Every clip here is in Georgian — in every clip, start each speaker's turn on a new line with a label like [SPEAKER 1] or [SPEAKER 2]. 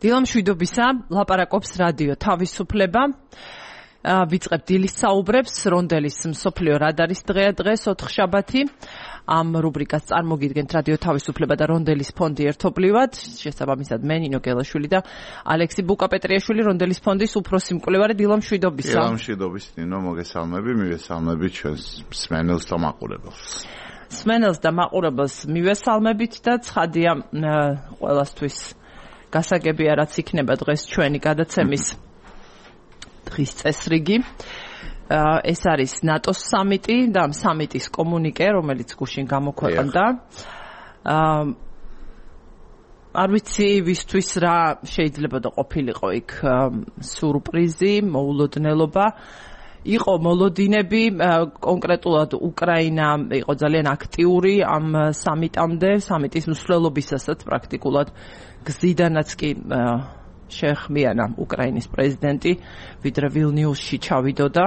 [SPEAKER 1] დილამშვიდობისა, ლაპარაკობს რადიო თავისუფლება. ვიწყებ დილის საუბრებს, რონდელის მსოფლიო რადარის დღეა დღეს, ოთხშაბათი. ამ რუბრიკას წარმოგიდგენთ რადიო თავისუფლება და რონდელის ფონდი ერთობლივად. შესაბამისად მე ნინო გელაშვილი და ალექსი ბუკაპეტრიაშვილი, რონდელის ფონდის უფროსი მკვლევარი. დილამშვიდობისა.
[SPEAKER 2] დილამშვიდობის ნინო, მოგესალმები, მივესალმებით ჩვენს მსმენელს და მაყურებელს.
[SPEAKER 1] მსმენელს და მაყურებელს მივესალმებით და ცხადია ყველასთვის გასაგებია რაც იქნება დღეს ჩვენი გადაცემის დღის წესრიგი. ეს არის ნატოს სამიტი და ამ სამიტის კომუნიკე, რომელიც გუშინ გამოქვეყნდა. არ ვიცი ვისთვის რა შეიძლება და ყოფილიყო იქ სურპრიზი, მოულოდნელობა. იყო მოლოდინები, კონკრეტულად უკრაინა იყო ძალიან აქტიური ამ სამიტამდე, სამიტის მსვლელობისასაც პრაქტიკულად გზიდანაც კი შეეხმიანა უკრაინის პრეზიდენტი, ვიდრე ვილნიუსში ჩავიდოდა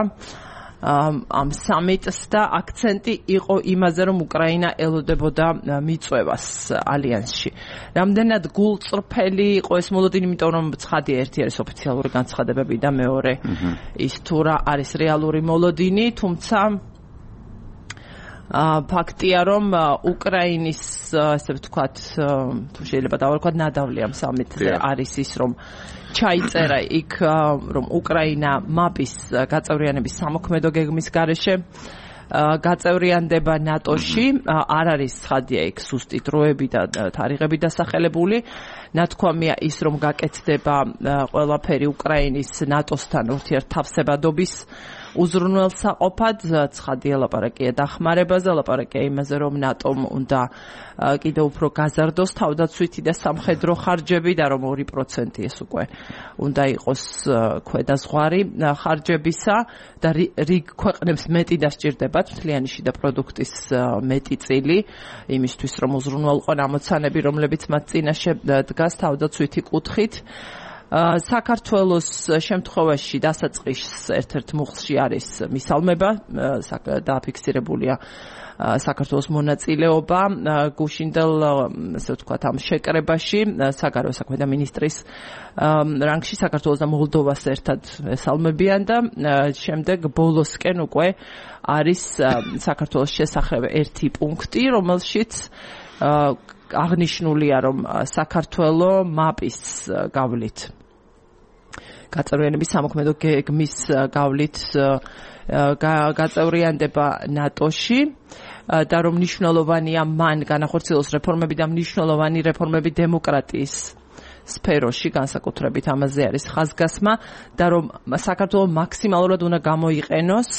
[SPEAKER 1] ამ სამიტს და აქცენტი იყო იმაზე, რომ უკრაინა ელოდებოდა მიწვევას ალიანსში. რამდენად გულწრფელი იყო ეს მოლოდინი, იმიტომ რომ ცხადია, ერთი არის ოფიციალური განცხადებები და მეორე ის თუ რა არის რეალური მოლოდინი, თუმცა ფაქტია, რომ უკრაინის, ესე ვთქვათ, თუ შეიძლება დავარქვათ, ნადავლი ამ სამიტზე არის ის, რომ ჩაიწერა იქ, რომ უკრაინა მაპის გაწევრიანების სამოქმედო გეგმის გარეშე გაწევრიანდება ნატოში, არ არის ცხადია იქ სუსტი დროები და თარიღები დასახელებული. ნათქვამია ის, რომ გაკეთდება ყველაფერი უკრაინის ნატოსთან ურთიერთთავსებადობის უზრუნველსაყოფად. ცხადია ლაპარაკია დახმარებაზე, ლაპარაკია იმაზე, რომ ნატომ უნდა კიდევ უფრო გაზარდოს თავდაცვითი და სამხედრო ხარჯები და რომ 2% ეს უკვე უნდა იყოს ქვედაზღვარი ხარჯებისა და რიგ ქვეყნებს მეტი დასჭირდებათ მთლიანი შიდა პროდუქტის მეტი წილი იმისთვის, რომ უზრუნველყონ ამოცანები, რომლებიც მათ წინაშე დგას თავდაცვითი კუთხით. საქართველოს შემთხვევაში დასაწყის ერთ-ერთ მუხლში არის მისალმება, დააფიქსირებულია საქართველოს მონაწილეობა გუშინდელ, ასე ვთქვათ, ამ შეკრებაში საგარეო საქმეთა მინისტრის რანგში საქართველოს და მოლდოვას ერთად ესალმებიან და შემდეგ ბოლოსკენ უკვე არის საქართველოს შესახებ ერთი პუნქტი, რომელშიც აღნიშნულია, რომ საქართველო მაპის გავლით გაწევრიანების სამოქმედო გეგმის გავლით გაწევრიანდება ნატოში და რომ მნიშვნელოვანია მან განახორციელოს რეფორმები და მნიშვნელოვანი რეფორმები დემოკრატიის სფეროში, განსაკუთრებით ამაზე არის ხაზგასმა და რომ საქართველო მაქსიმალურად უნდა გამოიყენოს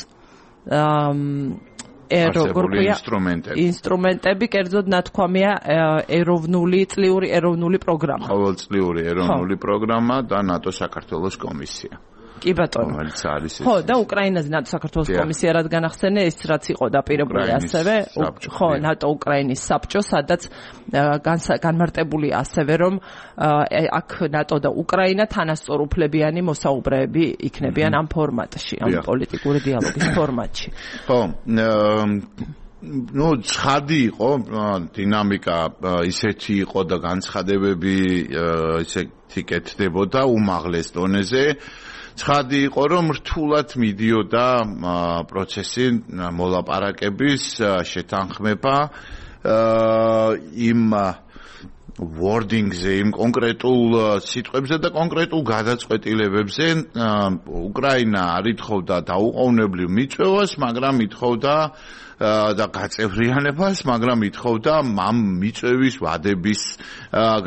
[SPEAKER 1] ინსტრუმენტები, კერძოდ ნათქვამია წლიური ეროვნული პროგრამა.
[SPEAKER 2] ყოველწლიური ეროვნული პროგრამა და ნატო საქართველოს კომისია.
[SPEAKER 1] კი ბატონო. ხო, და უკრაინაზე ნატო საქართველოს კომისია რადგან ახსენე, ეს რაც იყო დაპირებული ასევე, ხო, ნატო უკრაინის საბჭო, სადაც განმარტებული ასევე, რომ აქ ნატო და უკრაინა თანასწორუფლებიანი მოსაუბრეები იქნებიან ამ ფორმატში, ამ პოლიტიკური დიალოგის ფორმატში.
[SPEAKER 2] ხო, ცხადი იყო, დინამიკა ისეთი იყო და განცხადებები ისეთი კეთდებოდა უმაღლეს დონეზე. ცხადი იყო, რომ რთულად მიდიოდა პროცესი მოლაპარაკების შეთანხმება იმ wording-ზე, იმ კონკრეტულ სიტყვებზე და კონკრეტულ გადაწყვეტილებებზე. უკრაინა არ ითხოვდა დაუყოვნებლივ მიწვევას, მაგრამ ითხოვდა და გაწევრიანებას, მაგრამ ითხოვდა ამ მიწვევის ვადების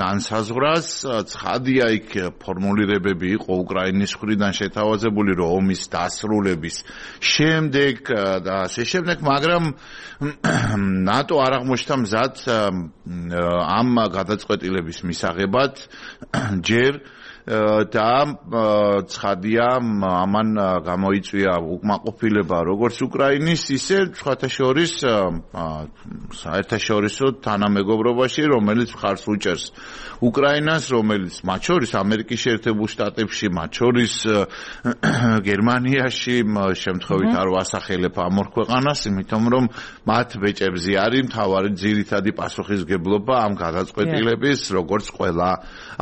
[SPEAKER 2] განსაზღვრას. ცხადია იქ ფორმულირებები იყო უკრაინის მხრიდან შეთავაზებული, რომ ომის დასრულების შემდეგ და ასე შემდეგ, მაგრამ ნატო არ აღმოჩნდა მზად ამ გადაწყვეტილების მისაღებად ჯერ და ცხადია ამან გამოიწვია უკმაყოფილება როგორც უკრაინის, ისე სხვათა შორის საერთაშორისო თანამეგობრობაში, რომელიც მხარს უჭერს უკრაინას, რომელიც მათ შორის ამერიკის შეერთებულ შტატებში, მათ შორის გერმანიაში შემთხვევით არ ვასახელებ ამ ორ ქვეყანას, იმიტომ რომ მათ ბეჭებზე არის მთავარი ძირითადი პასუხისგებლობა ამ გადაწყვეტილების, როგორც ყველა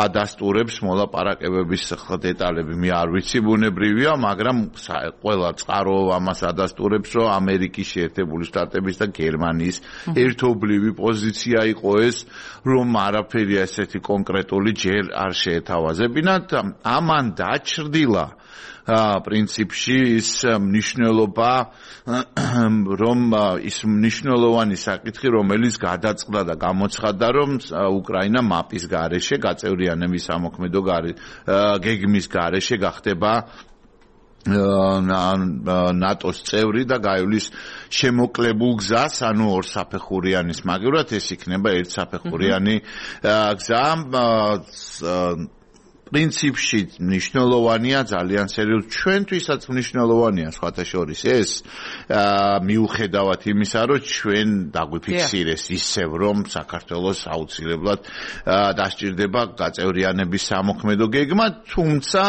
[SPEAKER 2] ადასტურებს მოლაპარაკებების დეტალები. მე არ ვიცი, ბუნებრივია, მაგრამ ყველა წყარო ამას ადასტურებს, რომ ამერიკის შეერთებული შტატების და გერმანიის ერთობლივი პოზიცია იყო ეს, რომ არაფერი ასეთი კონკრეტული ჯერ არ შეეთავაზებინათ. ამან დაჩრდილა პრინციპში ის მნიშვნელობა, რომ ის მნიშვნელოვანი საკითხი, რომელიც გადაწყდა და გამოცხადდა, რომ უკრაინა მაპის გარეშე, გაწევრიანების სამოქმედო გეგმის გარეშე გახდება ნატოს წევრი და გაივლის შემოკლებულ გზას, ანუ ორსაფეხურიანის მაგივრად ეს იქნება ერთსაფეხურიანი გზა. პრინციპში მნიშვნელოვანია, ძალიან სერიოზულად ჩვენთვისაც მნიშვნელოვანია სხვათა შორის ეს, მიუხედავად იმისა, რომ ჩვენ დაგვიფიქსირეს ისევ, რომ საქართველოს აუცილებლად დასჭირდება გაწევრიანების სამოქმედო გეგმა, თუმცა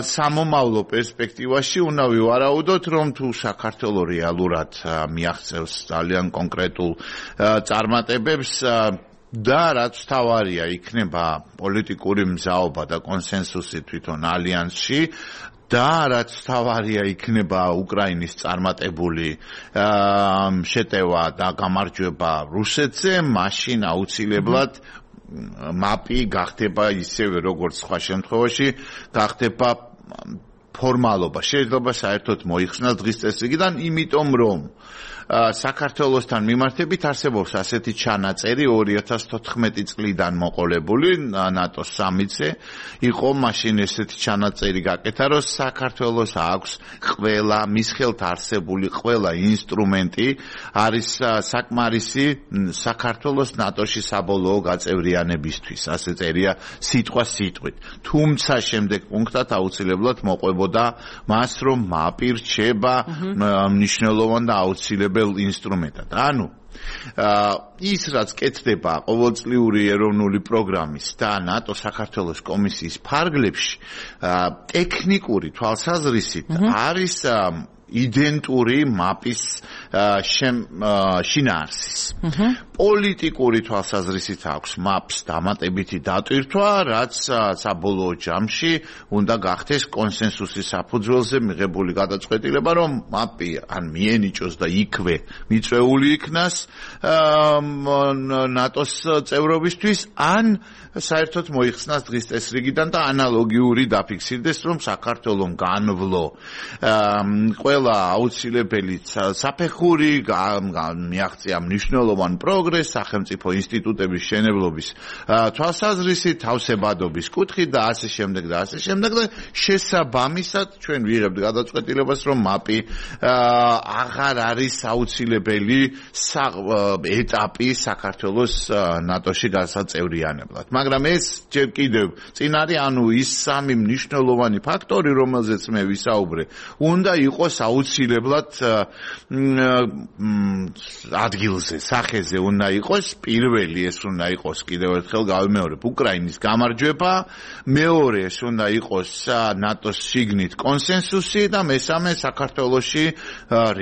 [SPEAKER 2] სამომავლო პერსპექტივაში უნდა ვივარაუდოთ, რომ თუ საქართველო რეალურად მიაღწევს ძალიან კონკრეტულ წარმატებებს და რაც თავარია იქნება პოლიტიკური მზაობა და კონსენსუსი თვითონ ალიანსში და რაც თავარია იქნება უკრაინის წარმატებული შეტევა და გამარჯვება რუსეთზე, მაშინ აუცილებლად მაპი გახდება ისევე როგორც სხვა შემთხვევაში გახდება ფორმალობა. შეიძლება საერთოდ მოიხსნას დღის წესრიგიდან, იმიტომ რომ საქართველოსთან მიმართებით არსებობს ასეთი ჩანაწერი 2014 წლიდან მოყოლებული ნატოს სამიტზე იყო მაშინ ესეთი ჩანაწერი გაკეთა, რომ საქართველოს აქვს ყველა მის ხელთ არსებული ყველა ინსტრუმენტი არის საკმარისი საქართველოს ნატოში საბოლოო გაწევრიანებისთვის, ასე წერია სიტყვა სიტყვით. თუმცა შემდეგ პუნქტად აუცილებლად მოყვებოდა მას, რომ მაპი რჩება მნიშვნელოვან და აუცილებელ ინსტრუმენტად. ანუ ის რაც კეთდება ყოველწლიური ეროვნული პროგრამის და ნატო საქართველოს კომისიის ფარგლებში ტექნიკური თვალსაზრისით არის იდენტური მაპის შინაარსის. პოლიტიკური თვალსაზრისით აქვს მაპს დამატებითი დატვირთვა, რაც საბოლოო ჯამში უნდა გახდეს კონსენსუსის საფუძველზე მიღებული გადაწყვეტილება, რომ მაპი ან მიენიჭოს და იქვე მიწვეული იქნას ნატოს წევრობისთვის, ან საერთოდ მოიხსნას დღის წესრიგიდან და ანალოგიური დაფიქსირდეს, რომ საქართველოს განვლო ყველა აუცილებელი საფეხური მიაღწია მნიშვნელოვან პროგრესს სახელმწიფო ინსტიტუტების შენებლობის თვალსაზრისით, თავსებადობის კუთხით და ასე შემდეგ და ასე შემდეგ და შესაბამისად ჩვენ ვიღებთ გადაწყვეტილებას, რომ მაპი აღარ არის აუცილებელი ეტაპი საქართველოს ნატოში გასაწევრიანებლად. მაგრამ ეს ჯერ კიდევ წინ არის, ანუ ის სამი მნიშვნელოვანი ფაქტორი, რომელზეც მე ვისაუბრე, უნდა იყოს აუცილებლად ადგილზე, სახეზე უნდა იყოს. პირველი ეს უნდა იყოს, კიდევ ერთხელ გავიმეორებ, უკრაინის გამარჯვება, მეორე ეს უნდა იყოს ნატოს შიგნით კონსენსუსი და მესამე საქართველოში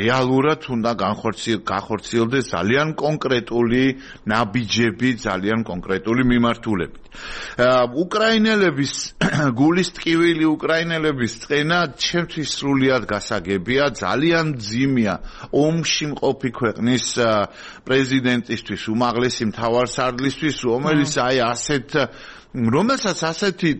[SPEAKER 2] რეალურად უნდა განხორციელდეს ძალიან კონკრეტული ნაბიჯები, ძალიან კონკრეტული მიმართულებით. უკრაინელების გულის ტკივილი, უკრაინელების წენა ჩემთვის სრულიად გასაგებია, ძალიან მძიმეა ომში მყოფი ქვეყნის პრეზიდენტისთვის, უმაღლესი მთავარსარდლისთვის, რომელიც აი ასეთ რომელსაც ასეთი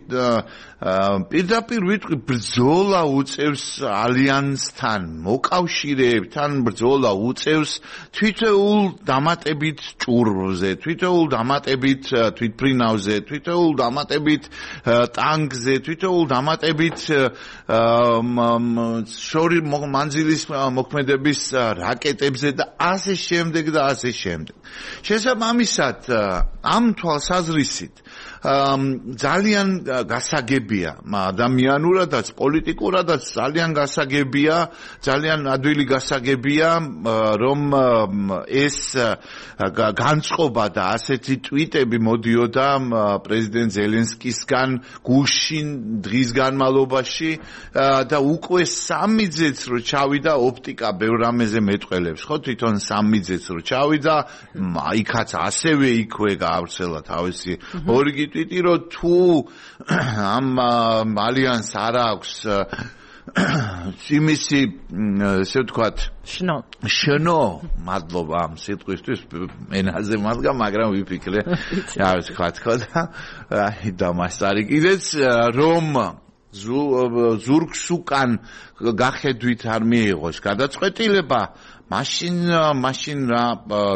[SPEAKER 2] პირდაპირ ვიტყვი ბრძოლა უწევს ალიანსთან, მოკავშირეებთან ბრძოლა უწევს თვითეულ დამატებით ჭურვზე, თვითეულ დამატებით თვითფრინავზე, თვითეულ დამატებით ტანკზე, თვითეულ დამატებით შორი მანძილის მოქმედების რაკეტებზე და ასე შემდეგ და ასე შემდეგ. შესაბამისად, ამ თვალსაზრისით ძალიან გასაგებია ადამიანურადაც პოლიტიკურადაც ძალიან გასაგებია ძალიან ადვილი გასაგებია რომ ეს განწყობა და ასეთი ტვიტები მოდიოდა პრეზიდენტ ზელენსკისგან გუშინ დღის განმავლობაში და უკვე სამიძეც რო ჩავიდა ოპტიკა ბევრ რამეზე მეტყველებს ხო თვითონ სამიძეც რო ჩავიდა იქაც ასევე იქვე გაავრცელა თავისი ორიგი ტვიტი რომ თუ ამ ალიანს არ აქვს იმისი ესე ვთქვათ შნო მადლობა ამ სიტყვისთვის ენაზე მადგა მაგრამ ვიფიქრე რა ვთქვა და აი დამასარი კიდეც რომ ზურგს უკან გახედვით არ მიიღოს გადაწყვეტილება მაშინ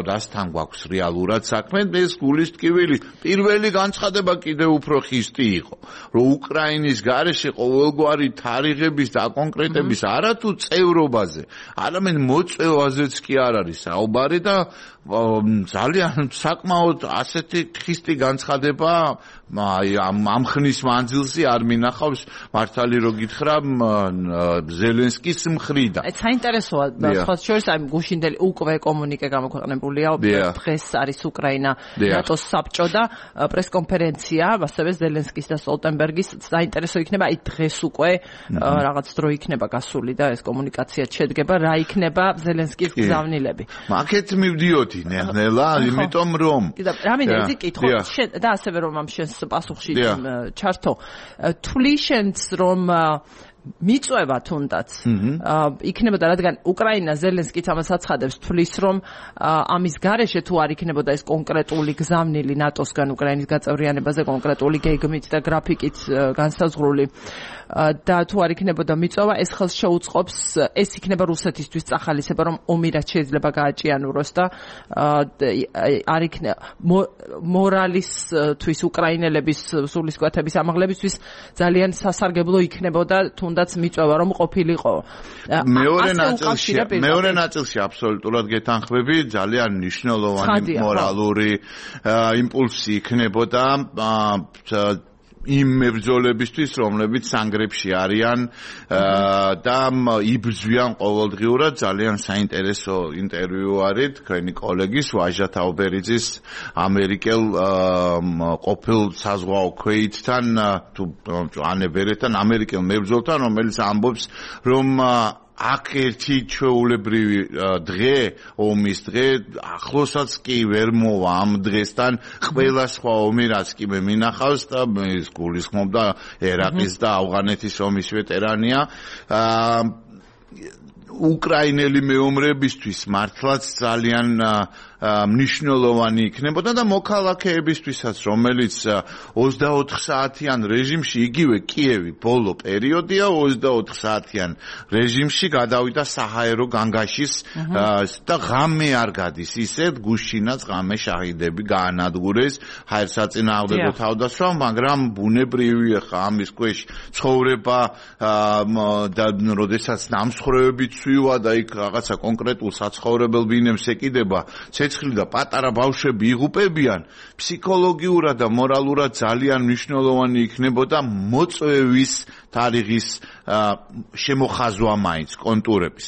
[SPEAKER 2] რასთან გვაქვს რეალურად საქმე ეს გულის ტკივილი პირველი განცხადება კიდევ უფრო ხისტი იყო რომ უკრაინის გარეშე ყოველგვარი თარიღების და კონკრეტების არათუ წევრობაზე არამედ მოწევაზეც კი არ არის საუბარი და ძალიან საკმაოდ ასეთი ხისტი განცხადება აი ამ ხნის მანძილზე არ მინახავს მართალი რო გითხრა ზელენსკის მხრიდან
[SPEAKER 1] ეს საინტერესოა სხვა შორის აი გუშინდელი უკვე კომუნიკე გამოქვეყნებულია დღეს არის უკრაინა ნატოს საბჭო და პრესკონფერენცია ასევე ზელენსკის და სტოლტენბერგის საინტერესო იქნება აი დღეს უკვე რაღაც დრო იქნება გასული და ეს კომუნიკაცია შედგება რა იქნება ზელენსკის გზავნილები
[SPEAKER 2] მაგეთ მივდიოდი ნელა იმიტომ რომ
[SPEAKER 1] რამინდა კითხო და ასევე რომ ამ შენს პასუხში ჩართო თვლიშენს რომ მიწვევა თუნდაც იქნებოდა რადგან უკრაინა ზელენსკიც ამას აცხადებს თვლის რომ ამის გარეშე თუ არ იქნებოდა ეს კონკრეტული გზავნილი ნატოსგან უკრაინის გაწევრიანებაზე კონკრეტული გეგმით და გრაფიკით განსაზღვრული და თუ არ იქნებოდა მიწვევა ეს ხელს შეუწყობს ეს იქნება რუსეთისთვის წახალისება რომ ომი რაც შეიძლება გააჭიანუროს და არ იქნება მორალისთვის უკრაინელების სულისკვეთების ამაღლებისთვის ძალიან სასარგებლო იქნებოდა თუნდაც მიწვევა რომ ყოფილიყო
[SPEAKER 2] მეორე ნაწილში აბსოლუტურად გეთანხმები ძალიან მნიშვნელოვანი მორალური იმპულსი იქნებოდა იმ მებრძოლებისთვის რომლებიც სანგრებში არიან და იბრძვიან ყოველდღიურად ძალიან საინტერესო ინტერვიუ არის თქვენი კოლეგის ვაჟა თაუბერიძის ამერიკელ ყოფილ საზღვაო ქვეითთან თუ ანებერეთთან ამერიკელ მებრძოლთან რომელიც ამბობს რომ აქ ერთი ჩვეულებრივი დღე ომის დღე ახლოსაც კი ვერ მოვა ამ დღესთან ყველა სხვა ომი რაც კი მე მინახავს და ის გულისხმობდა ერაყის და ავღანეთის ომის ვეტერანია უკრაინელი მეომრებისთვის მართლაც ძალიან მნიშვნელოვანი იქნებოდა და მოქალაქეებისთვისაც რომელიც 24 საათიან რეჟიმში იგივე კიევი ბოლო პერიოდია 24 საათიან რეჟიმში გადავიდა საჰაერო განგაშის და ღამე არ გადის ისეთ გუშინაც ღამე შაჰიდები გაანადგურეს ჰაერსაწინააღმდეგო თავდასხმა მაგრამ ბუნებრივია ხა ამის ქვეშ ცხოვრება და როდესაც ნამსხვრევები ცვივა და იქ რაღაცა კონკრეტულ საცხოვრებელ ბინებს ეკიდება ცეცხლი და პატარა ბავშვები იღუპებიან ფსიქოლოგიურად და მორალურად ძალიან მნიშვნელოვანი იქნებოდა მოწვევის თარიღის შემოხაზვა მაინც კონტურების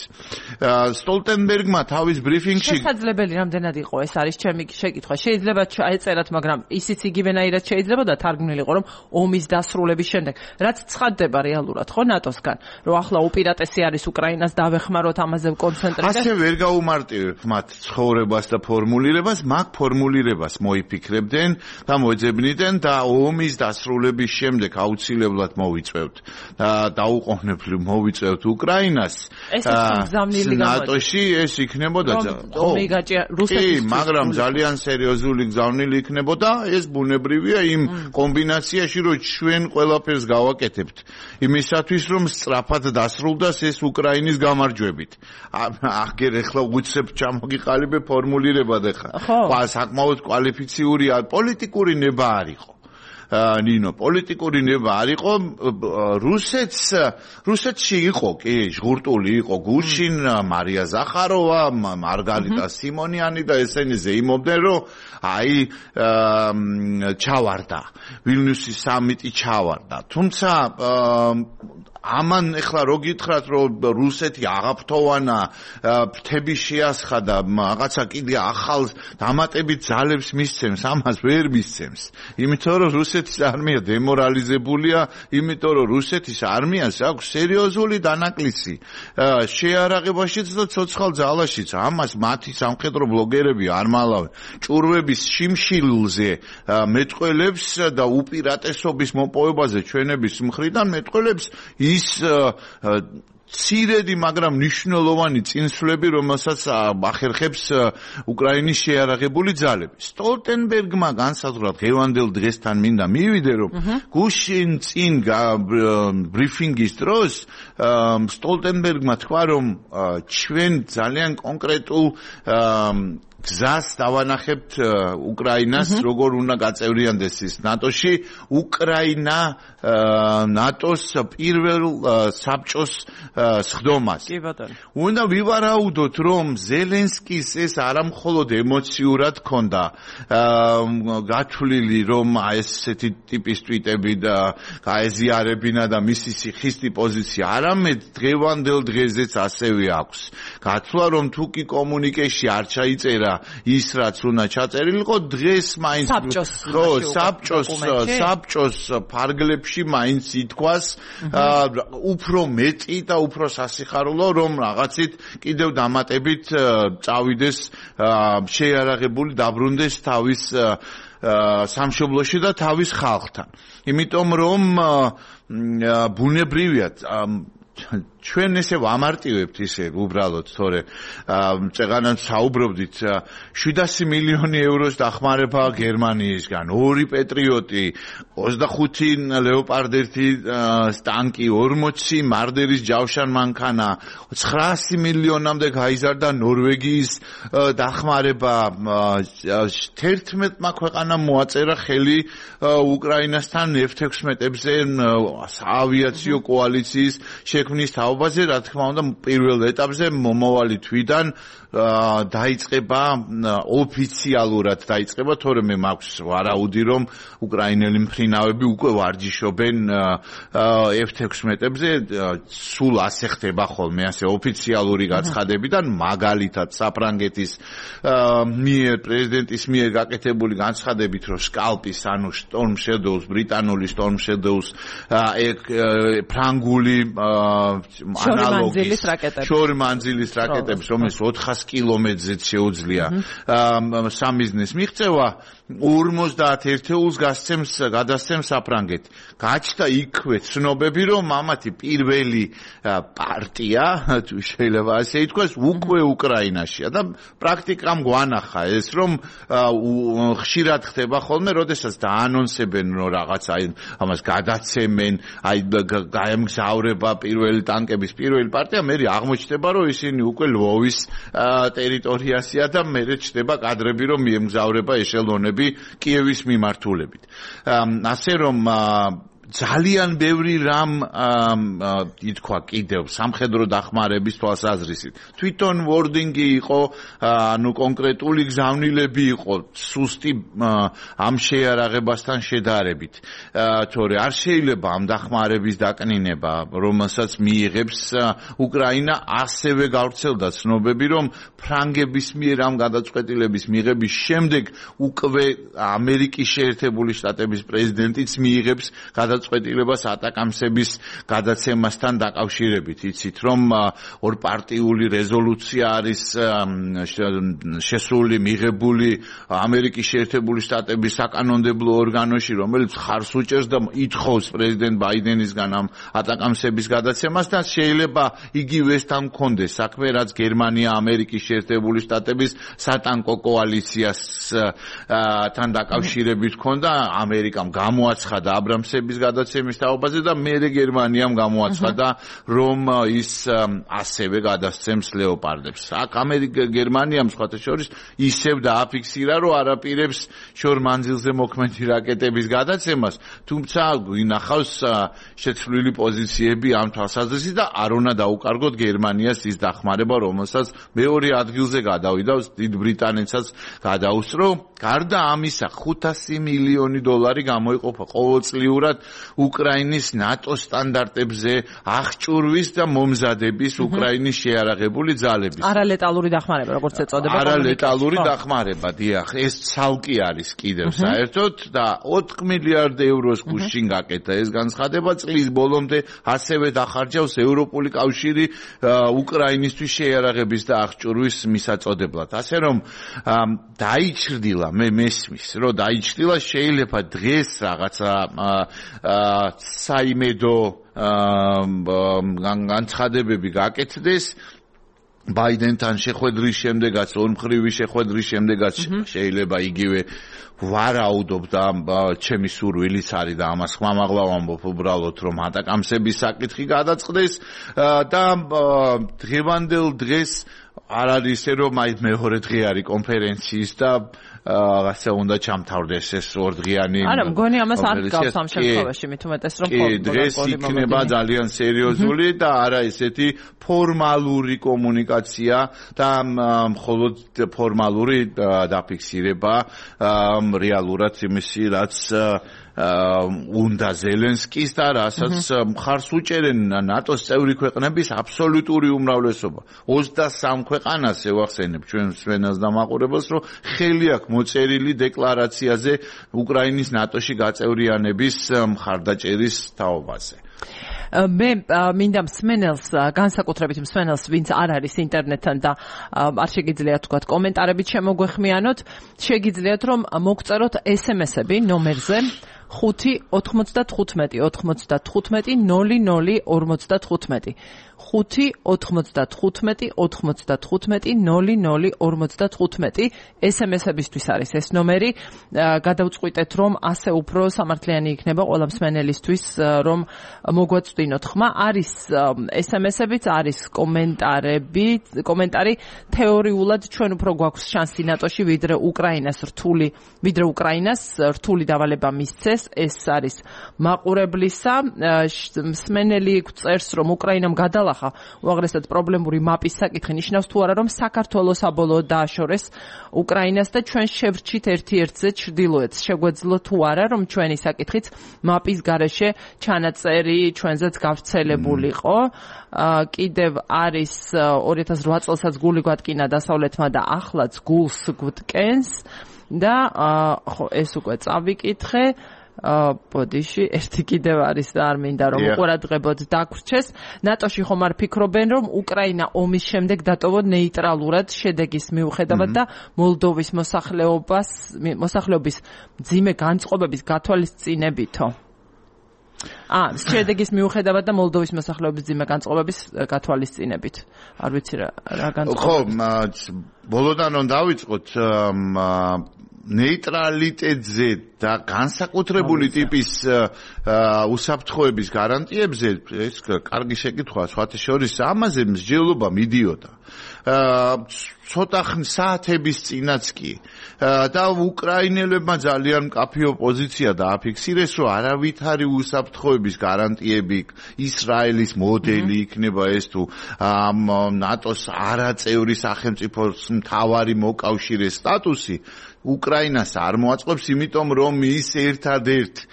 [SPEAKER 2] სტოლტენბერგმა თავის ბრიფინგში
[SPEAKER 1] შესაძლებელი რამდენად იყო ეს არის ჩემი შეკითხვა შეიძლება ჩაეწერათ მაგრამ ისიც იგივენაირად შეიძლება და თარგმნილიყო რომ ომის დასრულების შემდეგ რაც ცხადდება რეალურად ხო ნატოსგან რომ ახლა უპირატესი არის უკრაინას დავეხმაროთ ამაზე კონცენტრირდეს
[SPEAKER 2] ასე ვერ გაუმარტივებ მათ ცხოვრებას და ფორმულირებას მაგ ფორმულირებას მოიფიქრებდნენ და მოეძებნიდნენ და ომის დასრულების შემდეგ აუცილებლად მოვიწევთ დაუყოვნებლივ მოვიწევთ უკრაინას ნატოში ეს იქნებოდა
[SPEAKER 1] რუსეთის
[SPEAKER 2] მაგრამ ძალიან სერიოზული გზავნილი იქნებოდა ეს ბუნებრივია იმ კომბინაციაში რომ ჩვენ ყველაფერს გავაკეთებთ იმისათვის რომ სწრაფად დასრულდეს ეს უკრაინის გამარჯვებით აღგერ ახლა უცებ ჩამოგიყალიბე ფორმულირება და ხა საკმაოდ კვალიფიციური პოლიტიკური ნება არისო ნინო პოლიტიკური ნება არ იყო რუსეთში იყო კი ჟღურტული იყო გუშინ მარია ზახაროვა მარგარიტა სიმონიანი და ესენი ზეიმობდნენ რომ აი ჩავარდა ვილნიუსის სამიტი ჩავარდა თუმცა ამან ეხლა რო გითხრათ რომ რუსეთი აღაფრთოვანა ფრთები შეასხადა რაღაცა კიდე ახალ დამატებით ძალებს მისცემს ამას ვერ მისცემს იმიტომ რომ რუსეთის არმია დემორალიზებულია იმიტომ რომ რუსეთის არმიას აქვს სერიოზული დანაკლისი შეარაღებაშიც და ცოცხალ ძალაშიც ამას მათი სამხედრო ბლოგერები არ მალავენ ჭურვების შიმშილზე მეტყველებს და უპირატესობის მოპოვებაზე ჩვენების მხრიდან მეტყველებს ის ცირედი, მაგრამ მნიშვნელოვანი წინსვლები, რომელსაც ახერხებს უკრაინის შეიარაღებული ძალები. სტოლტენბერგმა განსაზღვრა დღევანდელ დღესთან მინდა მივიდე, რომ გუშინ წინ ბრიფინგის დროს სტოლტენბერგმა თქვა, რომ ჩვენ ძალიან კონკრეტულ გზას დავანახებთ უკრაინას როგორ უნდა გაწევრიანდეს ის ნატოში უკრაინა ნატოს პირველ საბჭოს სხდომას უნდა ვივარაუდოთ რომ ზელენსკის ეს არამხოლოდ ემოციურად ქონდა გათვლილი რომ ესეთი ტიპის ტვიტები და გაეზიარებინა და მისი სიხისტი პოზიცია არამედ დღევანდელ დღეზეც ასევე აქვს გათვლა რომ თუ კი კომუნიკეში არ ჩაიწერა ის რაც უნდა ჩაწერილიყო დღეს მაინც საბჭოს ფარგლებში მაინც ითქვას უფრო მეტი და უფრო სასიხარულო რომ რაღაცით კიდევ დამატებით წავიდეს შეიარაღებული დაბრუნდეს თავის სამშობლოში და თავის ხალხთან იმიტომ რომ ბუნებრივია ჩვენ ესე ვამარტივებთ ისე უბრალოდ თორე წეგანან საუბრობდით 700 მილიონი ევროს დახმარება გერმანიისგან 2 პეტრიოტი 25 ლეოპარდ 1 ტანკი 40 მარდერის ჯავშან მანქანა 900 მილიონამდე გაიზარდა ნორვეგიის დახმარება 11 ქვეყანამ მოაწერა ხელი უკრაინასთან F-16-ებზე საავიაციო კოალიციის შექმნის თაობაზე, რა თქმა უნდა, პირველ ეტაპზე მომავალი თვიდან დაიწყება ოფიციალურად დაიწყება, თორემ მაქვს ვარაუდი, რომ უკრაინელი მფრინავები უკვე ვარჯიშობენ F-16-ებზე, სულ ასე ხდება ხოლმე, ასე ოფიციალური გაცხადებიდან, მაგალითად საფრანგეთის პრეზიდენტის მიერ გაკეთებული განცხადებით, რომ სკალპის, ანუ Storm Shadows, ბრიტანული Storm Shadows, ფრანგული შორი მანძილის რაკეტებს, რომელიც 400 კილომეტრზეც შეუძლია სამიზნეს მიღწევა 50 ერთეულს გადასცემს საფრანგეთი. გაჩნდა იქვე ცნობები, რომ ამათი პირველი პარტია, თუ შეიძლება ასე ითქვას, უკვე უკრაინაშია და პრაქტიკამ გვანახა ეს, რომ ხშირად ხდება ხოლმე, როდესაც დაანონსებენ, რომ რაღაცა ამას გადაცემენ, აი გაემგზავრება პირველი ტანკების პირველი პარტია, მე აღმოჩნდება, რომ ისინი უკვე ლვოვის ტერიტორიაშია და მე ჩნდება კადრები, რომ მიემგზავრება ეშელონები კიევის მიმართულებით. ასე რომ ძალიან ბევრი რამ ითქვა კიდევ სამხედრო დახმარების თვალსაზრისით. თვითონ ვორდინგი იყო, ანუ კონკრეტული გზავნილები იყო სუსტი ამ შეიარაღებასთან შედარებით. თორე არ შეიძლება ამ დახმარების დაკნინება, რომელსაც მიიღებს უკრაინა, ასევე გავრცელდა ცნობები, რომ ფრანგების მიერ ამ გადაწყვეტილების მიღების შემდეგ უკვე ამერიკის შეერთებული შტატების პრეზიდენტიც მიიღებს გადაწყვეტილებას ატაკამსების გადაცემასთან დაკავშირებით. იცით, რომ ორპარტიული რეზოლუცია არის შესული, მიღებული ამერიკის შეერთებული შტატების საკანონმდებლო ორგანოში, რომელიც ხარს უჭერს და ითხოვს პრეზიდენტ ბაიდენისგან ამ ატაკამსების გადაცემას და შეიძლება იგივე ეს თან მქონდეს საქმე, რაც გერმანია ამერიკის შეერთებული შტატების სატანკო კოალიციასთან დაკავშირებით ჰქონდა. ამერიკამ გამოაცხადა აბრამსების გადაცემის თაობაზე და მერე გერმანიამ გამოაცხადა, რომ ის ასევე გადასცემს ლეოპარდებს. აქ გერმანიამ სხვათა შორის ისევ დააფიქსირა, რომ არაპირებს შორ მანძილზე მოქმედი რაკეტების გადაცემას, თუმცა გვინახავს შეცვლილი პოზიციები ამ თვალსაზრისით და არ უნდა დაუკარგოთ გერმანიას ის დახმარება, რომელსაც მეორე ადგილზე გადავიდა, დიდ ბრიტანეთსაც გადაუსწრო. გარდა ამისა, 500 მილიონი დოლარი გამოიყოფა ყოველწლიურად უკრაინის ნატო სტანდარტებზე აღჭურვის და მომზადების უკრაინის შეიარაღებული ძალების.
[SPEAKER 1] არალეტალური დახმარება, როგორც ეწოდება.
[SPEAKER 2] არალეტალური დახმარება, დიახ, ეს ცალკე არის კიდევ საერთოდ და 4 მილიარდ ევროს გუშინ გაკეთა ეს განცხადება, წლის ბოლომდე ასევე დახარჯავს ევროპული კავშირი უკრაინისთვის შეიარაღების და აღჭურვის მისაწოდებლად. ასე რომ დაიჩრდილა, მე მესმის, რომ დაიჩრდილა, შეიძლება დღეს რაღაცა საიმედო განცხადებები გაკეთდეს ბაიდენთან შეხვედრის შემდეგაც, ორმხრივი შეხვედრის შემდეგაც შეიძლება იგივე ვარაუდობ და ჩემი სურვილიც არის და ამას ხმამაღლა ვამბობ უბრალოდ, რომ ატაკამსების საკითხი გადაწყდეს და დღევანდელ დღეს არ არის ისე, რომ აი მეორე დღე არის კონფერენციის და რაღაცა უნდა ჩამთავრდეს ეს ორდღიანი.
[SPEAKER 1] არა, მგონი ამას არ გავს ამ შემთხვევაში, მით უმეტეს რომ
[SPEAKER 2] დღეს იქნება ძალიან სერიოზული და არა ესეთი ფორმალური კომუნიკაცია და მხოლოდ ფორმალური დაფიქსირება რეალურად იმისი, რაც უნდა ზელენსკის და რასაც მხარს უჭერენ ნატოს წევრი ქვეყნების აბსოლუტური უმრავლესობა. 23 ქვეყანას ევახსენებ ჩვენ სვენას და მაყურებელს, რომ ხელი აქვს მოწერილი დეკლარაციაზე უკრაინის ნატოში გაწევრიანების მხარდაჭერის თაობაზე.
[SPEAKER 1] მე მინდა მსმენელს, განსაკუთრებით მსმენელს, ვინც არ არის ინტერნეტთან და არ შეგიძლიათ თქვათ კომენტარებით შემოგვეხმიანოთ, შეგიძლიათ რომ მოგწეროთ SMS-ები ნომერზე 5-95-95-00-55. 5-95-95-00-55. SMS-ებისთვის არის ეს ნომერი. გადავწყვიტეთ, რომ ასე უფრო სამართლიანი იქნება ყველა მსმენელისთვის, რომ მოგვაწვდინოთ ხმა. არის SMS-ებიც, არის კომენტარი. თეორიულად ჩვენ უფრო გვაქვს შანსი ნატოში, ვიდრე უკრაინას რთული დავალება მისცეს. ეს არის მაყურებლისა. მსმენელი წერს, რომ უკრაინამ გადალახა უაღრესად პრობლემური მაპის საკითხი, ნიშნავს თუ არა, რომ საქართველოს საბოლოოდ დააშორეს უკრაინას და ჩვენ შევრჩით ერთ-ერთზე ჩრდილოეთს. შეგვეძლო თუ არა, რომ ჩვენი საკითხიც მაპის გარეშე ჩანაწერი ჩვენზეც გავრცელებულიყო. კიდევ არის 2008 წელსაც გული გვატკინა დასავლეთმა და ახლაც გულს გვტკენს და ხო ეს უკვე წავიკითხე. ბოდიში, ერთი კიდევ არის და არ მინდა რომ უყურადღებოდ დაგვრჩეს. ნატოში ხომ არ ფიქრობენ, რომ უკრაინა ომის შემდეგ დატოვონ ნეიტრალურად შედეგის მიუხედავად და მოლდოვის მოსახლეობის მძიმე განწყობების გათვალისწინებითო. შედეგის მიუხედავად და მოლდოვის მოსახლეობის მძიმე განწყობების გათვალისწინებით. არ ვიცი რა განწყობები.
[SPEAKER 2] ხო, ბოლოდან რომ დავიწყოთ ნეიტრალიტეტზე და განსაკუთრებული ტიპის უსაფრთხოების გარანტიებზე ეს კარგი შეკითხვაა, სხვათა შორის ამაზე მსჯელობა მიდიოდა. ცოტა საათების წინაც კი და უკრაინელებმა ძალიან მკაფიო პოზიცია დააფიქსირეს, რომ არავითარი უსაფრთხოების გარანტიები ისრაელის მოდელი იქნება ეს თუ ნატოს არაწევრი სახელმწიფოს მთავარი მოკავშირეს სტატუსი უკრაინას არ მოაწყობს, იმიტომ რომ ის ერთადერთ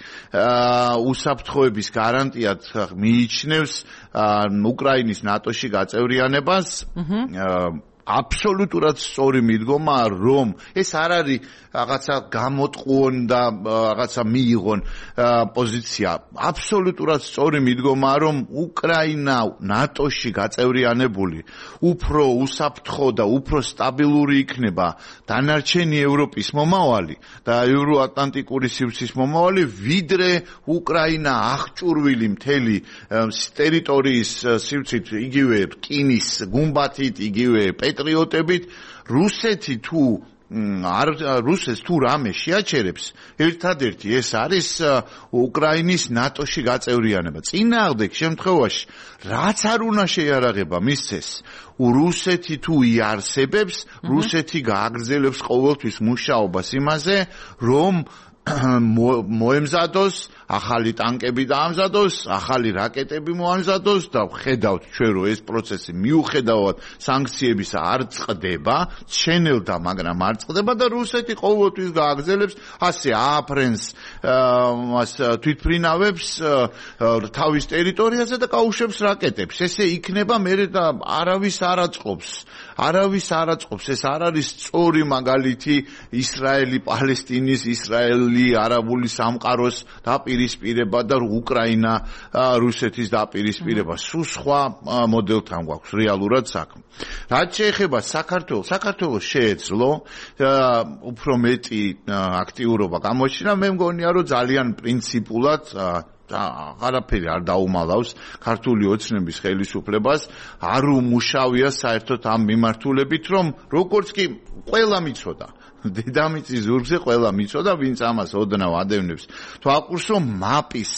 [SPEAKER 2] უსაფრთხოების გარანტიად მიიჩნევს უკრაინის ნატოში გაწევრიანებას. აბსოლუტურად სწორი მიდგომაა, რომ ეს არ არის რაღაცა გამოტყუონ და რაღაცა მიიღონ პოზიცია. აბსოლუტურად სწორი მიდგომაა, რომ უკრაინა ნატოში გაწევრიანებული უფრო უსაფრთხო და უფრო სტაბილური იქნება დანარჩენი ევროპის მომავალი და ევროატლანტიკური სივრცის მომავალი, ვიდრე უკრაინა აღჭურვილი მთელი ტერიტორიის სივრცით, იგივე რკინის გუმბათით, იგივე პეტრიოტებით. რუსეთი თუ რუსეთს თუ რამე შეაჩერებს, ერთადერთი ეს არის უკრაინის ნატოში გაწევრიანება. წინააღმდეგ შემთხვევაში რაც არ უნდა შეიარაღება მისცეს, რუსეთი თუ იარსებებს, რუსეთი გააგრძელებს ყოველთვის მუშაობას იმაზე, რომ მოემზადოს, ახალი ტანკები დაამზადოს, ახალი რაკეტები მოამზადოს და ხედავთ ჩვენ რომ ეს პროცესი მიუხედავად სანქციების არ წყდება, შენელდა, მაგრამ არ წყდება და რუსეთი ყოველთვის გააგრძელებს ასე ააფრენს თვითმფრინავებს თავის ტერიტორიაზე და გაუშვებს რაკეტებს. ესე იქნება მერე და არავის არ აწყობს. ეს არ არის სწორი მაგალითი ისრაელი, პალესტინის, ისრაელი, არაბული სამყაროს დაპირისპირება და უკრაინა, რუსეთის დაპირისპირება. სულ სხვა მოდელთან გვაქვს რეალურად საქმე. რაც შეეხება საქართველოს შეეძლო უფრო მეტი აქტიურობა გამოჩინა, მე მგონია რომ ძალიან პრინციპულად არაფერი არ დაუმალავს ქართული ოცნების ხელისუფლებას, არ უმუშავია საერთოდ ამ მიმართულებით, რომ როგორც კი ყველა მიცოდა დედამიწის ზურგზე ყველა მიცოდა, ვინც ამას ოდნავ ადევნებს. თვალყურს რომ მაპის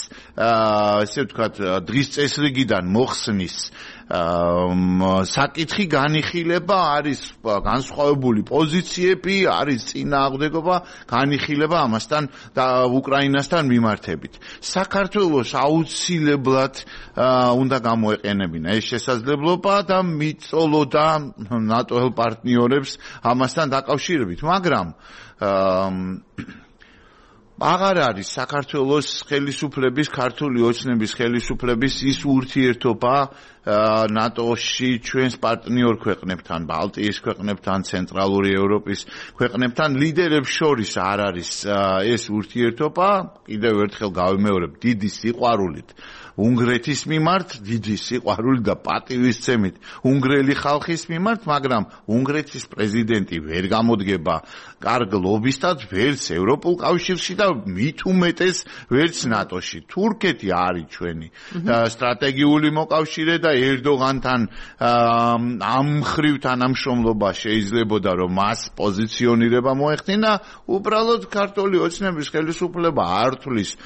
[SPEAKER 2] ესე ვთქვათ დღის წესრიგიდან მოხსნის საკითხი განიხილება, არის განსხვავებული პოზიციები, არის წინააღმდეგობა, განიხილება ამასთან და უკრაინასთან მიმართებით. საქართველოს აუცილებლად უნდა გამოეყენებინა ეს შესაძლებლობა და მიწოლოდა ნატოელ პარტნიორებს ამასთან დაკავშირებით, მაგრამ აღარ არის საქართველოს ხელისუფლების, ქართული ოცნების ხელისუფლების ის ურთიერთობა ნატოში ჩვენს პარტნიორ ქვეყნებთან, ბალტიის ქვეყნებთან, ცენტრალური ევროპის ქვეყნებთან, ლიდერებს შორის არ არის ეს ურთიერთობა, კიდევ ერთხელ გავიმეორებ, დიდი სიყვარულით უნგრეთის მიმართ, დიდი სიყვარული და პატივისცემით უნგრელი ხალხის მიმართ, მაგრამ უნგრეთის პრეზიდენტი ვერ გამოდგება კარგ ლობისტად ვერც ევროპულ კავშირში და მით უმეტეს ვერც ნატოში. თურქეთი არის ჩვენი სტრატეგიული მოკავშირე და ერდოღანთან ამ მხრივ თანამშრომლობა შეიძლებოდა რომ მას პოზიციონირება მოეხდინა, უბრალოდ ქართული ოცნების ხელისუფლება არ თulis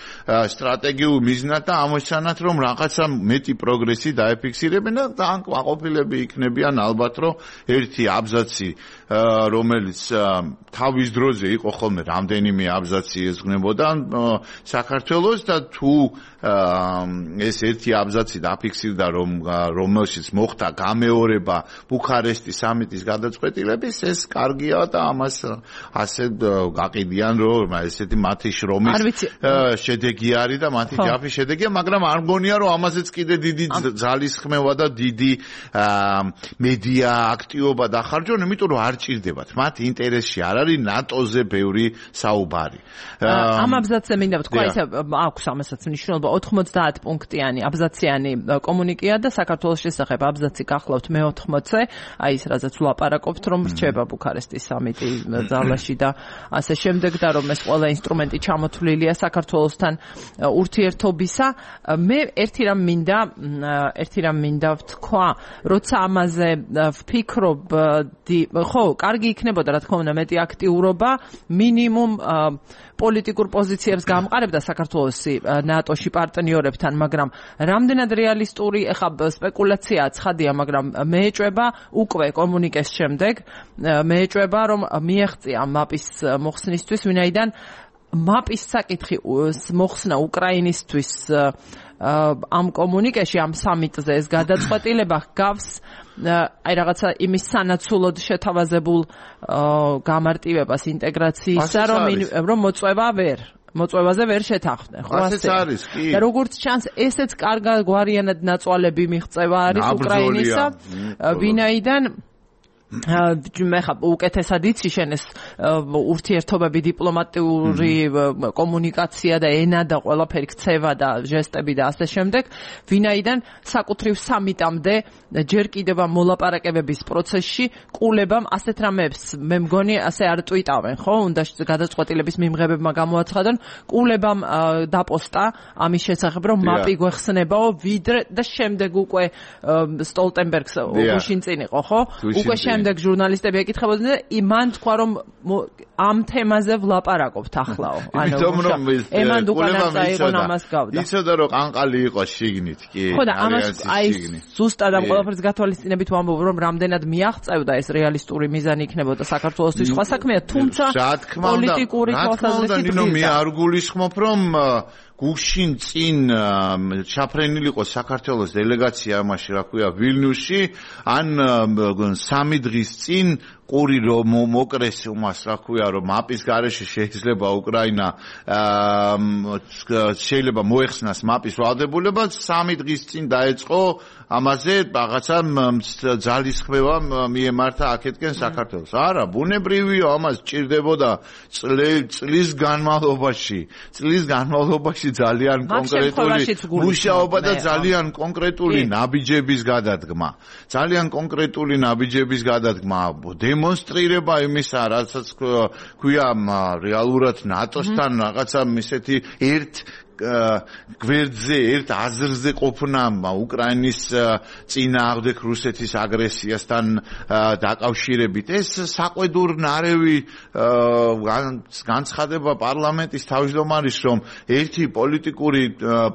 [SPEAKER 2] სტრატეგიულ მიზნად და ამოჩანათ რომ რაღაცა მეტი პროგრესი დაეფიქსირებენ და ძალიან კმაყოფილები იქნებიან ალბათ რომ ერთი აბზაცი რომელიც თავის დროზე იყო ხოლმე რამდენიმე აბზაცი ესგნებოდა საქართველოს და თუ ეს ერთი აბზაცი დაფიქსირდა რომელშიც მოხდა გამეორება ბუქარესტის სამიტის გადაწყვეტილების, ეს კარგია და ამას ასე გაყიდიან რომ ესეთი მათი შრომის შედეგი არის და მათი ჯაფის შედეგია, მაგრამ არ მგონია რომ ამაზეც კიდე დიდი ძალისხმევა და დიდი მედია აქტივობა დახარჯონ, იმიტომ რომ არ ჭირდებათ. მათ ინტერესში არ არის ნატოზე ბევრი საუბარი.
[SPEAKER 1] ამ აბზაცზე მინდა ვთქვა, ისე აქვს ამასაც მნიშვნელობა 90 პუნქტიანი აბზაციანი კომუნიკეა და საქართველოს შესახებ აბზაცი გახლავთ მე-80-ზე, აი ეს რაზეც ვლაპარაკობთ, რომ რჩება ბუქარესტის სამიტი ძალაში და ასე შემდეგ და რომ ეს ყველა ინსტრუმენტი ჩამოთვლილია საქართველოსთან ურთიერთობისა. მე ერთი რამ მინდა ვთქვა, როცა ამაზე ვფიქრობ, ხო, კარგი იქნებოდა რა თქმა უნდა მეტი აქტიურობა, მინიმუმ პოლიტიკურ პოზიციებს გამყარებდა საქართველოსი ნატოში პარტნიორებთან, მაგრამ რამდენად რეალისტური, ეხლა სპეკულაციაა ცხადია, მაგრამ მეეჭვება უკვე კომუნიკეს შემდეგ, მეეჭვება რომ მიეღწია მაპის მოხსნისთვის, ვინაიდან მაპის საკითხი მოხსნა უკრაინისთვის ამ კომუნიკეში, ამ სამიტზე ეს გადაწყვეტილება გავს აი რაღაცა იმის სანაცვლოდ შეთავაზებულ გამარტივებას ინტეგრაციისა, რომ მოწვევაზე ვერ შეთანხმდნენ, ხო ასე
[SPEAKER 2] არის, კი.
[SPEAKER 1] და როგორც ჩანს, ესეც კარგად გვარიანად ნაწვალები მიღწევა არის უკრაინისა, ვინაიდან მე ხა უკეთესად იცი შენ ეს ურთიერთობები, დიპლომატიური კომუნიკაცია და ენა და ყველაფერი ქცევა და ჟესტები და ასე შემდეგ, ვინაიდან საკუთრივ სამიტამდე ჯერ კიდევ მოლაპარაკებების პროცესში ყულებამ ასეთ რამებს მე მგონი ასე არ ტვიტავენ, ხო? უნდა გადაწყვეტილების მიმღებებმა გამოაცხადონ, ყულებამ დაპოსტა ამის შესახებ, რომ მაპი გვეხსნებაო, ვიდრე და შემდეგ უკვე სტოლტენბერგს უშინ წინ იყო, ხო? უკვე შემდეგ ჟურნალისტები ეკითხებოდნენ და მან თქვა რომ ამ თემაზე ვლაპარაკობთ ახლაო. ემან დუკანაცა იყო ამას გავდა.
[SPEAKER 2] იცოდა რომ ყანყალი იყო შიგნით კი.
[SPEAKER 1] ხო და ამას აი ზუსტად ამ ყველაფერს გათვალისწინებით ვამბობ რომ რამდენად მიაღწევდა ეს რეალისტური მიზანი იქნებოდა საქართველოსთვის სხვა საქმეა, თუმცა პოლიტიკური თვალსაზრისით
[SPEAKER 2] მე არ გულისხმობ რომ გუშინ წინ ჩაფრენილი იყო საქართველოს დელეგაცია ამაში რა ქვია ვილნიუსში ან 3 დღის წინ ყური რომ მოკრეს უმას რა ქვია რომ მაპის გარეშე შეიძლება უკრაინა შეიძლება მოეხსნას მაპის ვალდებულება 3 დღის წინ დაეწყო ამაზე რაღაცა ძალისხმევა მიემართა აქეთკენ საქართველოს. არა, ბუნებრივია ამას ჭირდებოდა წლის განმავლობაში ძალიან კონკრეტული მუშაობა და ძალიან კონკრეტული ნაბიჯების გადადგმა. ძალიან კონკრეტული ნაბიჯების გადადგმა. დემონსტრირება იმისა, რასაც ქვია რეალურად ნატოსთან რაღაცა ისეთი გვერდზე ერთ აზრზე ყოფნა უკრაინის წინააღმდეგ რუსეთის აგრესიასთან დაკავშირებით. ეს საყვედურ ნარევი განცხადება პარლამენტის თავმჯდომარის, რომ ერთი პოლიტიკური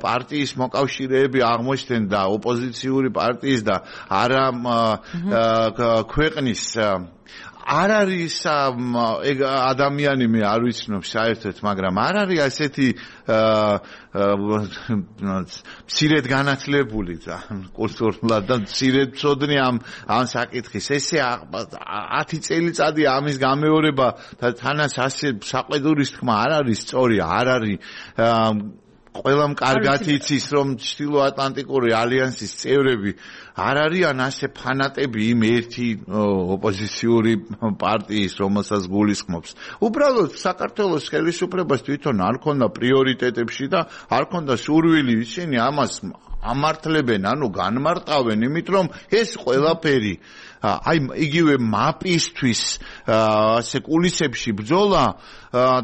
[SPEAKER 2] პარტიის მოკავშირეები აღმოჩნდნენ და ოპოზიციური პარტიის და არა ქვეყნის არ არის ადამიანი მე არ ვიცნობ საერთოდ, მაგრამ არ არის ასეთი მცირედ განათლებული და კულტურულად და მცირედ მცოდნე ამ საკითხის. ესე 10 წელიწადი ამის გამეორება და თანაც ასე საყვედურის თქმა არ არის სწორი, არ არის ყველამ კარგად იცის რომ ჩრდილოატლანტიკური ალიანსის წევრები არ არიან ასე ფანატები იმ ერთი ოპოზიციური პარტიის, რომელსაც გულისხმობს. უბრალოდ საქართველოს ხელისუფლებას თვითონ არ ქონდა პრიორიტეტებში და არ ქონდა სურვილი ისინი ამას ამართლებენ, ანუ განმარტავენ, იმით რომ ეს ყველაფერი აი იგივე მაპისთვის ასე კულისებში ბრძოლა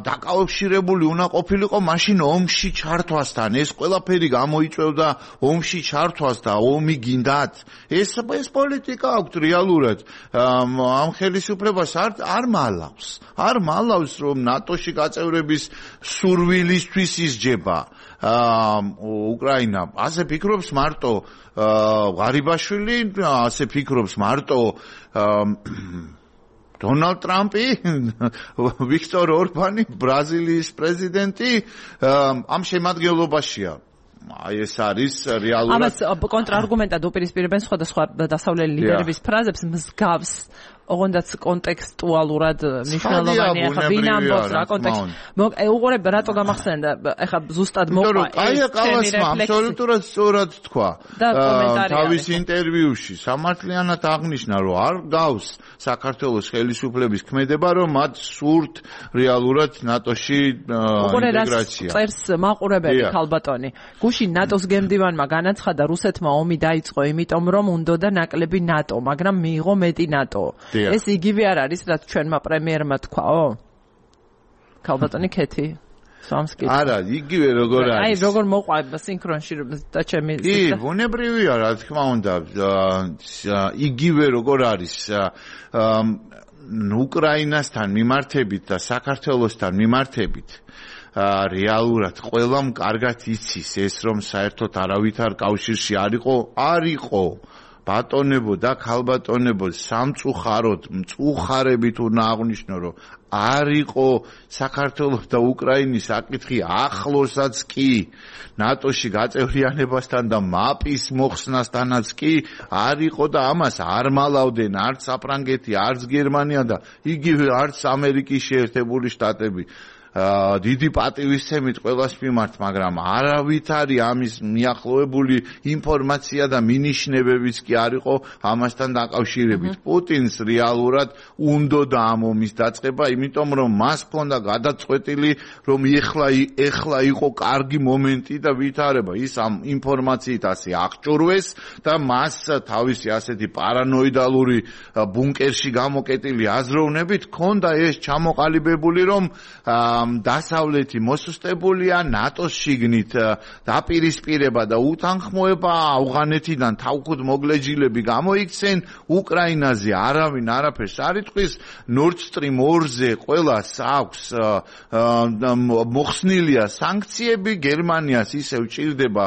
[SPEAKER 2] დაკავშირებული უნდა ყოფილიყო მაშინ ომში ჩართვასთან. ეს ყველაფერი გამოიწვევდა ომში ჩართვას და ომი გინდათ. ეს პოლიტიკა აქვს რეალურად. ამ ხელისუფლებას არ მალავს რომ ნატოში გაწევრების სურვილისთვის ისჯება უკრაინა. ასე ფიქრობს მარტო ღარიბაშვილი, ასე ფიქრობს მარტო დონალდ ტრამპი, ვიქტორ ორბანი, ბრაზილიის პრეზიდენტი ამ შემადგენლობაშია. აი ეს არის რეალურად.
[SPEAKER 1] ამას კონტრარგუმენტად უპირისპირებენ სხვადასხვა დასავლელი ლიდერების ფრაზებს მსგავს ოღონდაც კონტექსტუალურად მნიშვნელოვანია ხა ვინ ამბობს რა კონტექსტ. უყურებ რატო გამახსენდა ეხა ზუსტად მოყვა
[SPEAKER 2] ეს კალასმა აბსოლუტურად სწორად თქვა თავის ინტერვიუში სამართლიანად აღნიშნა რომ არ გავს საქართველოს ხელისუფლების ქმედება რომ მათ სურთ რეალურად ნატოში ინტეგრაცია.
[SPEAKER 1] წერს მაყურებელი ქალბატონი გუშინ ნატოს გემდივანმა განაცხადა რუსეთმა ომი დაიწყო იმიტომ რომ უნდოდა ნაკლები ნატო მაგრამ მიიღო მეტი ნატო. ეს იგივე არ არის რაც ჩვენმა პრემიერმა თქვაო? ქალბატონი ქეთი სამსკი.
[SPEAKER 2] არა, იგივე როგორ არის.
[SPEAKER 1] აი როგორ მოყვება სინქრონში და ჩემი
[SPEAKER 2] კი, ბუნებრივია რა თქმა უნდა. იგივე როგორ არის უკრაინასთან მიმართებით და საქართველოსთან მიმართებით. რეალურად ყველამ კარგად იცის ეს რომ საერთოდ არავითარ კავშირში არ იყო ბატონებო და ქალბატონებო სამწუხაროდ მწუხარებით უნდა აღვნიშნო რომ არ იყო საქართველოს და უკრაინის საკითხი ახლოსაც კი ნატოში გაწევრიანებასთან და მაპის მოხსნასთანაც კი არ იყო და ამას არ მალავდნენ არც საფრანგეთი არც გერმანია და იგივე არც ამერიკის შეერთებული შტატები. დიდი პატივისცემით ყველას მიმართ, მაგრამ არავითარი ამის მიახლოებული ინფორმაცია და მინიშნებებიც კი არ იყო ამასთან დაკავშირებით. პუტინს რეალურად უნდოდა ამ ომის დაწყება, იმიტომ რომ მას ჰქონდა გადაწყვეტილი, რომ ეხლა იყო კარგი მომენტი და ვითარება. ის ამ ინფორმაციით ასე აღჭურვეს და მას თავისი ასეთი პარანოიდალური ბუნკერში გამოკეტილი აზროვნებით ჰქონდა ეს ჩამოყალიბებული, რომ დასავლეთი მოსუსტებულია ნატოს შიგნით დაპირისპირება და უთანხმოება ავღანეთიდან თავქუდ მოგლეჯილები გამოიქცენ უკრაინაზე არავინ არაფერს არ იტყვის Nord Stream 2-ზე ყველას აქვს მოხსნილია სანქციები გერმანიას ისევ ჭირდება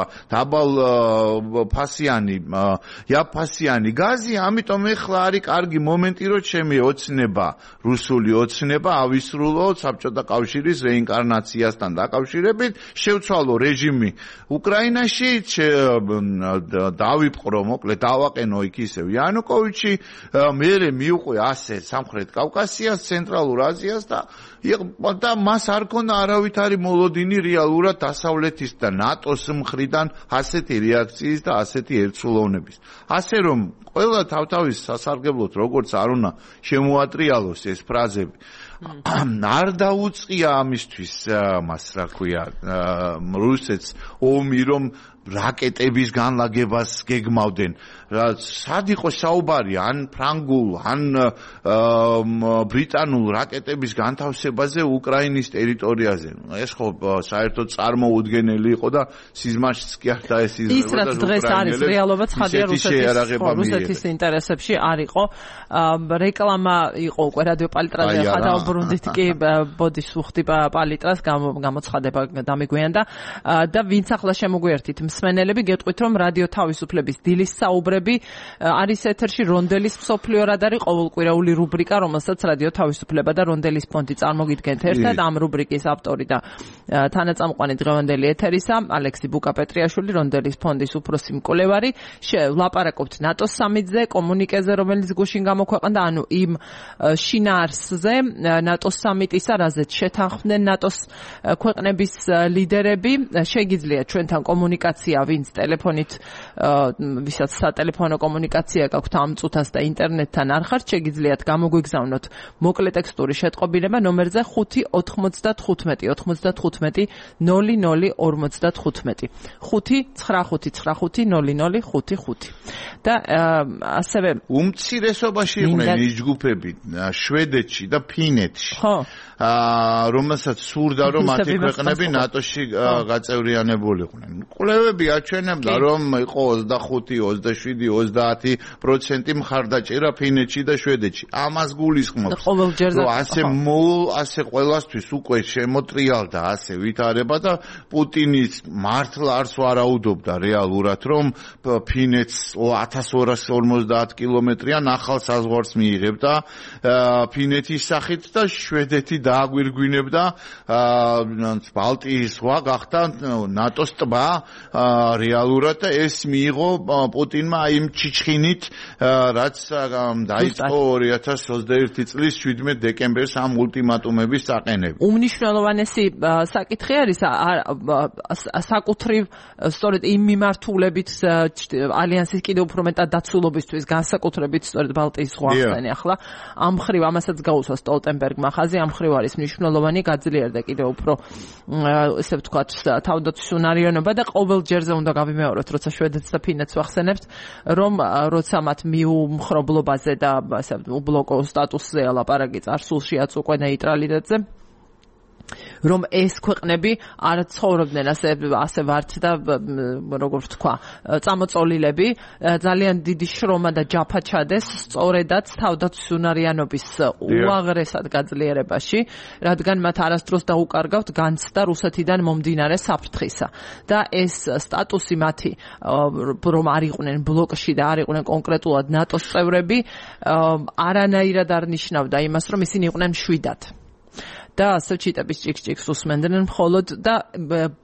[SPEAKER 2] იაფასიანი გაზი ამიტომ ეხლა არის კარგი მომენტი რომ ჩემი ოცნება რუსული ოცნება ავისრულო საბჭოთა კავშირის რეინკარნაციასთან დაკავშირებით შევცვალო რეჟიმი უკრაინაში დავიპყრო მოკლედ დავაყენო იქ ისევ იანუკოვიჩი მერე მიუყვე ასე სამხრეთ კავკასიას ცენტრალურ აზიას და მას არ ქონდა არავითარი მოლოდინი რეალურად დასავლეთის და ნატოს მხრიდან ასეთი რეაქციის და ასეთი ერთსულოვნების ასე რომ ყველა თავთავის სასარგებლოდ როგორც არ უნდა შემოატრიალოს ეს ფრაზები არ დაუწყია ამისთვის მას რა ქვია რუსეთს ომი რომ რაკეტების განლაგებას გეგმავდნენ სად იყო საუბარი ან ფრანგულ ან ბრიტანულ რაკეტების განთავსებაზე უკრაინის ტერიტორიაზე ეს ხო საერთოდ წარმოუდგენელი იყო და სიზმაშიც კი არ დაესიზმრება
[SPEAKER 1] ის რაც დღეს არის რეალობა ცხადია რუსეთის ინტერესებში არ იყო რეკლამა იყო უკვე რადიო პალიტრაზე ხა დაუბრუნდით კი ბოდიშ ვუხდი პალიტრას გამოცხადება დამიგვიანდა და ვინც ახლა შემოგვიერთით მსმენელები გეტყვით რომ რადიო თავისუფლების დილის საუბრები არის ეთერში რონდელის მსოფლიო რადარი ყოველკვირეული რუბრიკა რომელსაც რადიო თავისუფლება და რონდელის ფონდი წარმოგიდგენთ ერთად ამ რუბრიკის ავტორი და თანაწამყვანი დღევანდელი ეთერისა ალექსი ბუკაპეტრიაშვილი რონდელის ფონდის უფროსი მკვლევარი ვლაპარაკობთ ნატოს სამიტზე კომუნიკეზე რომელიც გუშინ გამოქვეყნდა ანუ იმ შინაარსზე ნატოს სამიტისა რაზეც შეთანხმდნენ ნატოს ქვეყნების ლიდერები შეგიძლიათ ჩვენთან კომუნიკაცია ვინც ტელეფონით ვისაც სატელეფონო კომუნიკაცია გაქვთ ამ წუთას და ინტერნეტთან არ ხართ შეგიძლიათ გამოგვიგზავნოთ მოკლე ტექსტური შეტყობინება ნომერზე 595 595 და ასევე
[SPEAKER 2] უმცირესობაში იყვნენ ის ჯგუფები შვედეთში და ფინეთში რომელსაც სურდა რომ მათი ქვეყნები ნატოში გაწევრიანებულიყვნენ კვლევები აჩვენებდა რომ იყო 25 27 30% მხარდაჭერა ფინეთში და შვედეთში ამას გულისხმობს რომ ასე ყველასთვის უკვე შემოტრიალდა ასე ვითარება და პუტინის მართლა არც ვარაუდობდა რეალურად რომ ფინეთს 1250 კილომეტრიან ახალ საზღვარს მიიღებდა ფინეთის სახით და შვედეთი დააგვირგვინებდა ბალტიის ზღვა გახდა ნატოს ტბა რეალურად და ეს მიიღო პუტინმა იმ ჩიჩხინით რაც დაიწყო 2021 წლის 17 დეკემბერს ამ ულტიმატუმების საყენები.
[SPEAKER 1] უმნიშვნელოვანესი საკითხი არის საკუთრივ სწორედ იმ მიმართულებით ალიანსის კიდევ უფრო მეტად დაცულობისთვის განსაკუთრებით სწორედ ბალტიის ზღვა ახსენე ახლა ამ ხრივ ამასაც გაუსვა სტოლტენბერგმა ხაზი ამ ხრივ არის მნიშვნელოვანი გაძლიერდა კიდევ უფრო ესე ვთქვათ თავდაცვის უნარიანობა და ყოველ ჯერზე უნდა გავიმეოროთ როცა შვედეთს და ფინეთს ვახსენებთ რომ როცა მათ მიუმხრობლობაზე და ასე უბლოკო სტატუსზე ლაპარაკი წარსულშიაც უკვე ნეიტრალიტეტზე რომ ეს ქვეყნები არ ცხოვრობდნენ ასე ვართ და როგორ ვთქვა წამოწოლილები ძალიან დიდი შრომა და ჯაფა ჩადეს სწორედაც თავდაცვის უნარიანობის უაღრესად გაძლიერებაში რადგან მათ არასდროს დაუკარგავთ განცდა რუსეთიდან მომდინარე საფრთხისა და ეს სტატუსი მათი რომ არ იყვნენ ბლოკში და არ იყვნენ კონკრეტულად ნატოს წევრები არანაირად არ ნიშნავდა იმას რომ ისინი იყვნენ მშვიდად და ასე ჩიტების ჭიქ-ჭიქს უსმენდნენ მხოლოდ და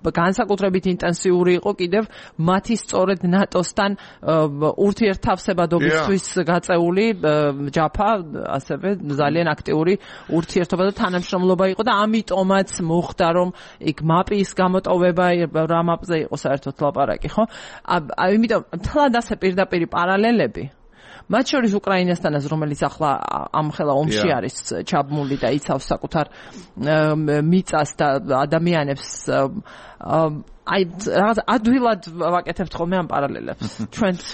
[SPEAKER 1] განსაკუთრებით ინტენსიური იყო კიდევ მათი სწორედ ნატოსთან ურთიერთთავსებადობისთვის გაწეული ჯაფა ასევე ძალიან აქტიური ურთიერთობა და თანამშრომლობა იყო და ამიტომაც მოხდა რომ იქ მაპის გამოტოვება რა მაპზე იყო საერთოდ ლაპარაკი ხო იმიტომ თლად ასე პირდაპირი პარალელები მათ შორის უკრაინასთანაც რომელიც ახლა ამხელა ომში არის ჩაბმული და იცავს საკუთარ მიწას და ადამიანებს აი რაღაც ადვილად ვაკეთებთ ხოლმე ამ პარალელებს ჩვენც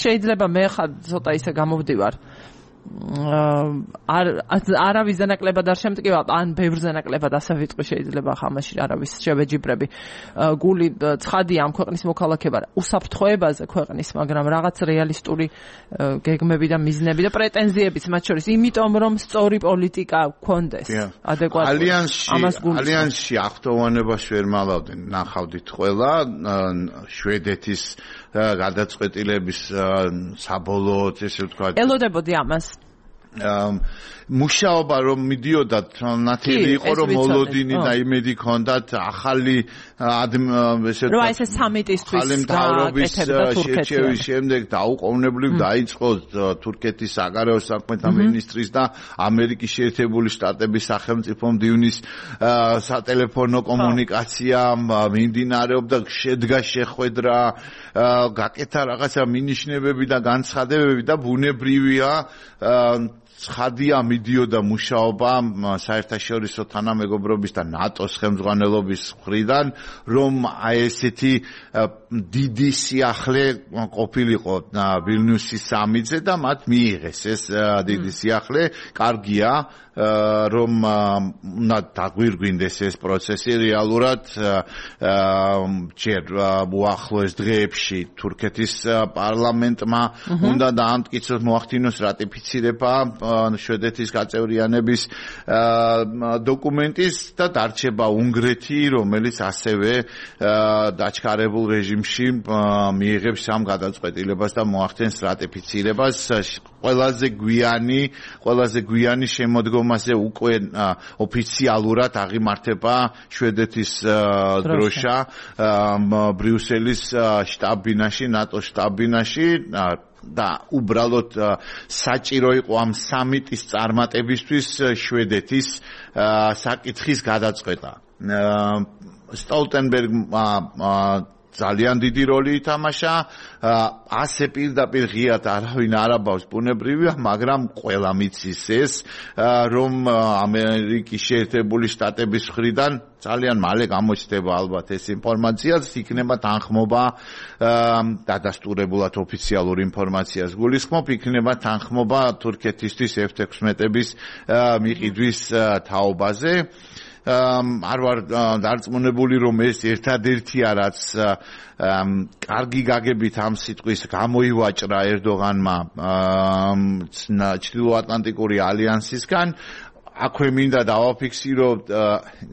[SPEAKER 1] შეიძლება მე ხა ცოტა ისე გამოვდივარ არავის ნაკლებად არ შემტკივა, ან ბევრ ნაკლებად ასე ვიტყვი შეიძლება ხამაში არავის შევეჯიბრები. გული ცხადია ამ ქვეყნის მოქალაქეობა უსაფრთხოებაზე ქვეყნის, მაგრამ რაღაც რეალისტური გეგმები და მიზნები და პრეტენზიებიც მათ შორის, იმიტომ რომ სწორი პოლიტიკა გქონდეს. ადეკვატური.
[SPEAKER 2] ალიანსში აღფრთოვანებას ვერ მალავდნენ, ნახავდით ყველა შვედეთის გადაწყვეტილების საბოლოოდ ესე ვთქვა.
[SPEAKER 1] ელოდებოდი ამას.
[SPEAKER 2] მუშაობა რომ მიდიოდა ნათელი იყო რომ მოლოდინი და იმედი ქონდათ ახალი ესე
[SPEAKER 1] რომ ეს სამიტისთვის
[SPEAKER 2] გაკეთებდა თურქეთის შემდეგ დაუყოვნებლივ დაიწყო თურქეთის საგარეო საქმეთა მინისტრის და ამერიკის შეერთებული შტატების სახელმწიფო მდივნის სატელეფონო კომუნიკაცია მიმდინარეობდა, შედგა შეხვედრა, გაკეთა რაღაცა მინიშნებები და განცხადებები და ბუნებრივია ცხადია მიდიოდა მუშაობა საერთაშორისო თანამეგობრობის და ნატოს ხელმძღვანელობის მხრიდან, რომ აი ესეთი დიდი სიახლე ყოფილიყო ვილნიუსის სამიტზე და მათ მიიღეს ეს დიდი სიახლე. კარგია, რომ უნდა დაგვირგვინდეს ეს პროცესი რეალურად ჯერ უახლოეს დღეებში თურქეთის პარლამენტმა უნდა დაამტკიცოს, მოახდინოს რატიფიცირება შვედეთის გაწევრიანების დოკუმენტის და დარჩება უნგრეთი, რომელიც ასევე დაჩქარებულ რეჟიმში მიიღებს ამ გადაწყვეტილებას და მოახდენს რატიფიცირებას. ყველაზე გვიანი შემოდგომაზე უკვე ოფიციალურად აღიმართება შვედეთის დროშა ბრიუსელის შტაბ-ბინაში, ნატოს შტაბ-ბინაში და უბრალოდ საჭირო იყო ამ სამიტის წარმატებისთვის შვედეთის საკითხის გადაწყვეტა. სტოლტენბერგმა ძალიან დიდი როლი ითამაშა, ასე პირდაპირ ღიად არავინ არ აბავს ბუნებრივია, მაგრამ ყველა მიცის ეს, რომ ამერიკის შეერთებული შტატების მხრიდან ძალიან მალე გამოჩნდება ალბათ ეს ინფორმაციაც, იქნება თანხმობა დადასტურებულად ოფიციალურ ინფორმაციას გულისხმობ, იქნება თანხმობა თურქეთისთვის F-16-ების მიყიდვის თაობაზე. არ ვარ დარწმუნებული, რომ ეს ერთადერთია, რაც კარგი გაგებით ამ სიტყვის გამოივაჭრა ერდოღანმა ჩრდილოატლანტიკური ალიანსისგან. აქვე მინდა დავაფიქსიროთ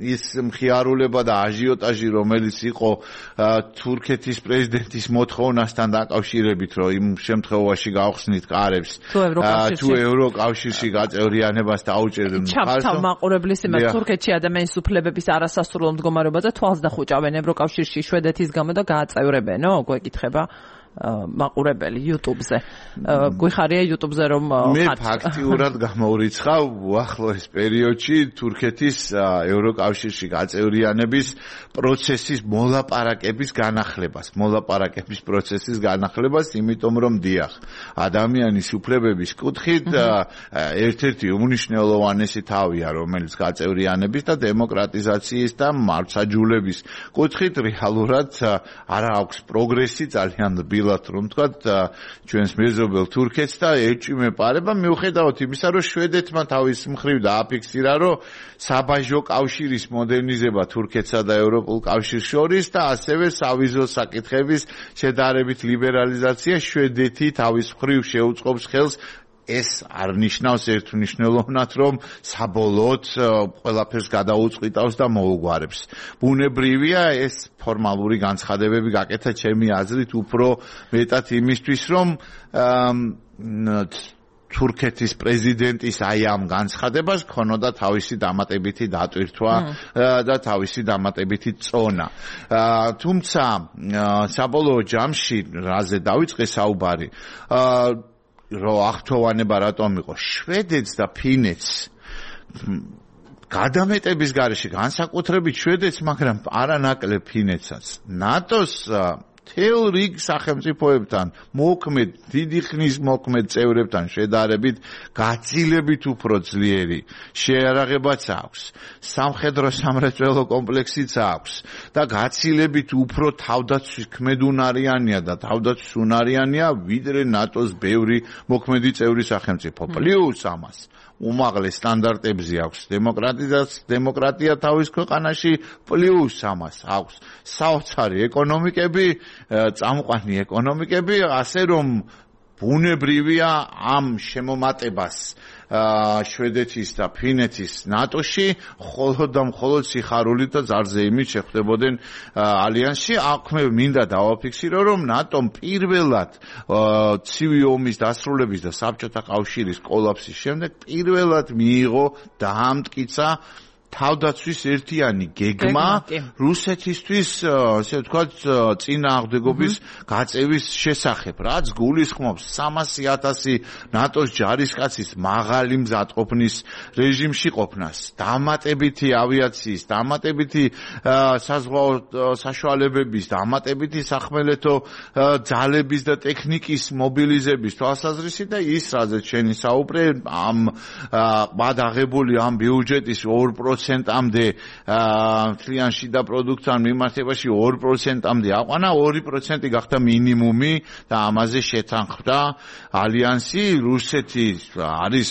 [SPEAKER 2] ის მხიარულება და აჟიოტაჟი, რომელიც იყო თურქეთის პრეზიდენტის მოთხოვნასთან დაკავშირებით, რომ იმ შემთხვევაში გავხსნით კარებს თუ ევროკავშირში გაწევრიანებას დაუჭერდნენ.
[SPEAKER 1] ჩაფთა მაყურებლის იმას თურქეთში ადამიანის უფლებების არასასურველ მდგომარეობაზე თვალს დახუჭავენ ევროკავშირში შვედეთის გამო და გააწევრებენო, გვეკითხება მაყურებელი YouTube-ზე. გვიხარია YouTube-ზე რომ
[SPEAKER 2] მე ფაქტიურად გამოვრიცხავ უახლოეს პერიოდში თურქეთის ევროკავშირში გაწევრიანების პროცესის მოლაპარაკების განახლებას, იმიტომ რომ დიახ, ადამიანის უფლებების კუთხით ერთ-ერთი უმნიშვნელოვანესი თავია, რომელიც გაწევრიანების და დემოკრატიზაციის და მართლმსაჯულების კუთხით რეალურად არ აქვს პროგრესი ძალიან რომ თქვათ ჩვენს მეზობელ თურქეთს და ეჭვი მეპარება მიუხედავად იმისა, რომ შვედეთმა თავის მხრივ დააფიქსირა, რომ საბაჟო კავშირის მოდერნიზება თურქეთსა და ევროპულ კავშირს შორის და ასევე სავიზო საკითხების შედარებით ლიბერალიზაცია შვედეთი თავის მხრივ შეუწყობს ხელს. ეს არ ნიშნავს ერთმნიშვნელოვნად, რომ საბოლოოდ ყველაფერს გადაუწყვიტავს და მოუგვარებს. ბუნებრივია ეს ფორმალური განცხადებები გაკეთა ჩემი აზრით უფრო მეტად იმისთვის, რომ თურქეთის პრეზიდენტის აი ამ განცხადებას ქონოდა თავისი დამატებითი დატვირთვა და თავისი დამატებითი წონა. თუმცა საბოლოო ჯამში რაზე დავიწყე საუბარი, რომ აღთხოვანება რატომ იყო შვედეთს და ფინეთს გადამეტების გარეშე, განსაკუთრებით შვედეთს, მაგრამ არანაკლებ ფინეთსაც. ნატოს თელ რიგ სახელმწიფოებთან მოქმედ დიდი ხნის მოქმედ წევრებთან შედარებით გაცილებით უფრო ძლიერი შეიარაღებაც აქვს სამხედრო სამრეწველო კომპლექსიც აქვს და გაცილებით უფრო თავდაცვის ქმედუნარიანია და თავდაცვის უნარიანია ვიდრე ნატოს ბევრი მოქმედი წევრი სახელმწიფო პლუს ამას უმაღლეს სტანდარტებზე აქვს დემოკრატია თავის ქვეყანაში პლუს ამას აქვს საოცარი ეკონომიკები წამყვანი ეკონომიკები ასე რომ ბუნებრივია ამ შემომატებას შვედეთის და ფინეთის ნატოში მხოლოდ სიხარულით და ზარზეიმით შეხვდებოდნენ ალიანსში. აქ მე მინდა დავაფიქსირო, რომ ნატომ პირველად ცივი ომის დასრულების და საბჭოთა კავშირის კოლაფსის შემდეგ პირველად მიიღო დაამტკიცა თავდაცვის ერთიანი გეგმა რუსეთისთვის, ასე ვთქვათ, წინააღმდეგობის გაწევის შესახებ, რაც გულისხმობს 300,000 ნატოს ჯარისკაცის მაღალი მზადყოფნის რეჟიმში ყოფნას, დამატებითი ავიაციის, დამატებითი საზღვაო საშუალებების, დამატებითი სახმელეთო ძალების და ტექნიკის მობილიზების თვალსაზრისით და ის, რაზეც შენი საუბრე, ამ გადაღებული ამ ბიუჯეტის 2%-ამდე მთლიან შიდა პროდუქტთან მიმართებაში 2%-ამდე აყვანა, 2% გახდა მინიმუმი და ამაზე შეთანხმდა ალიანსი. რუსეთი არის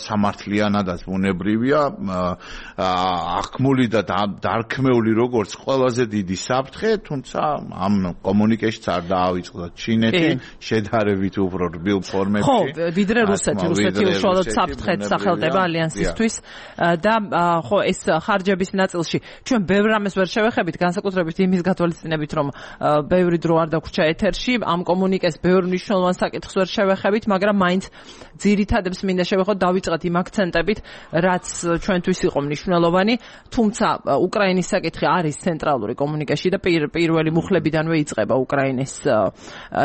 [SPEAKER 2] სამართლიანადაც ბუნებრივია, აღქმული და დარქმეული როგორც ყველაზე დიდი საფრთხე, თუმცა ამ კომუნიკეშიც არ დაავიწყდა ჩინეთი შედარებით უფრო რბილ ფორმებში.
[SPEAKER 1] ხო, ვიდრე რუსეთი უშუალოდ საფრთხეთ სახელდება ალიანსისთვის და ხო ეს ხარჯების ნაწილში ჩვენ ბევრ რამეს ვერ შევეხებით, განსაკუთრებით იმის გათვალისწინებით, რომ ბევრი დრო არ დაგვრჩა ეთერში, ამ კომუნიკეს ბევრ მნიშვნელოვან საკითხს ვერ შევეხებით, მაგრამ მაინც ძირითადებს მინდა შევეხოთ, დავიწყოთ იმ აქცენტებით, რაც ჩვენთვის იყო მნიშვნელოვანი, თუმცა უკრაინის საკითხი არის ცენტრალური კომუნიკეში და პირველი მუხლებიდანვე იწყება უკრაინის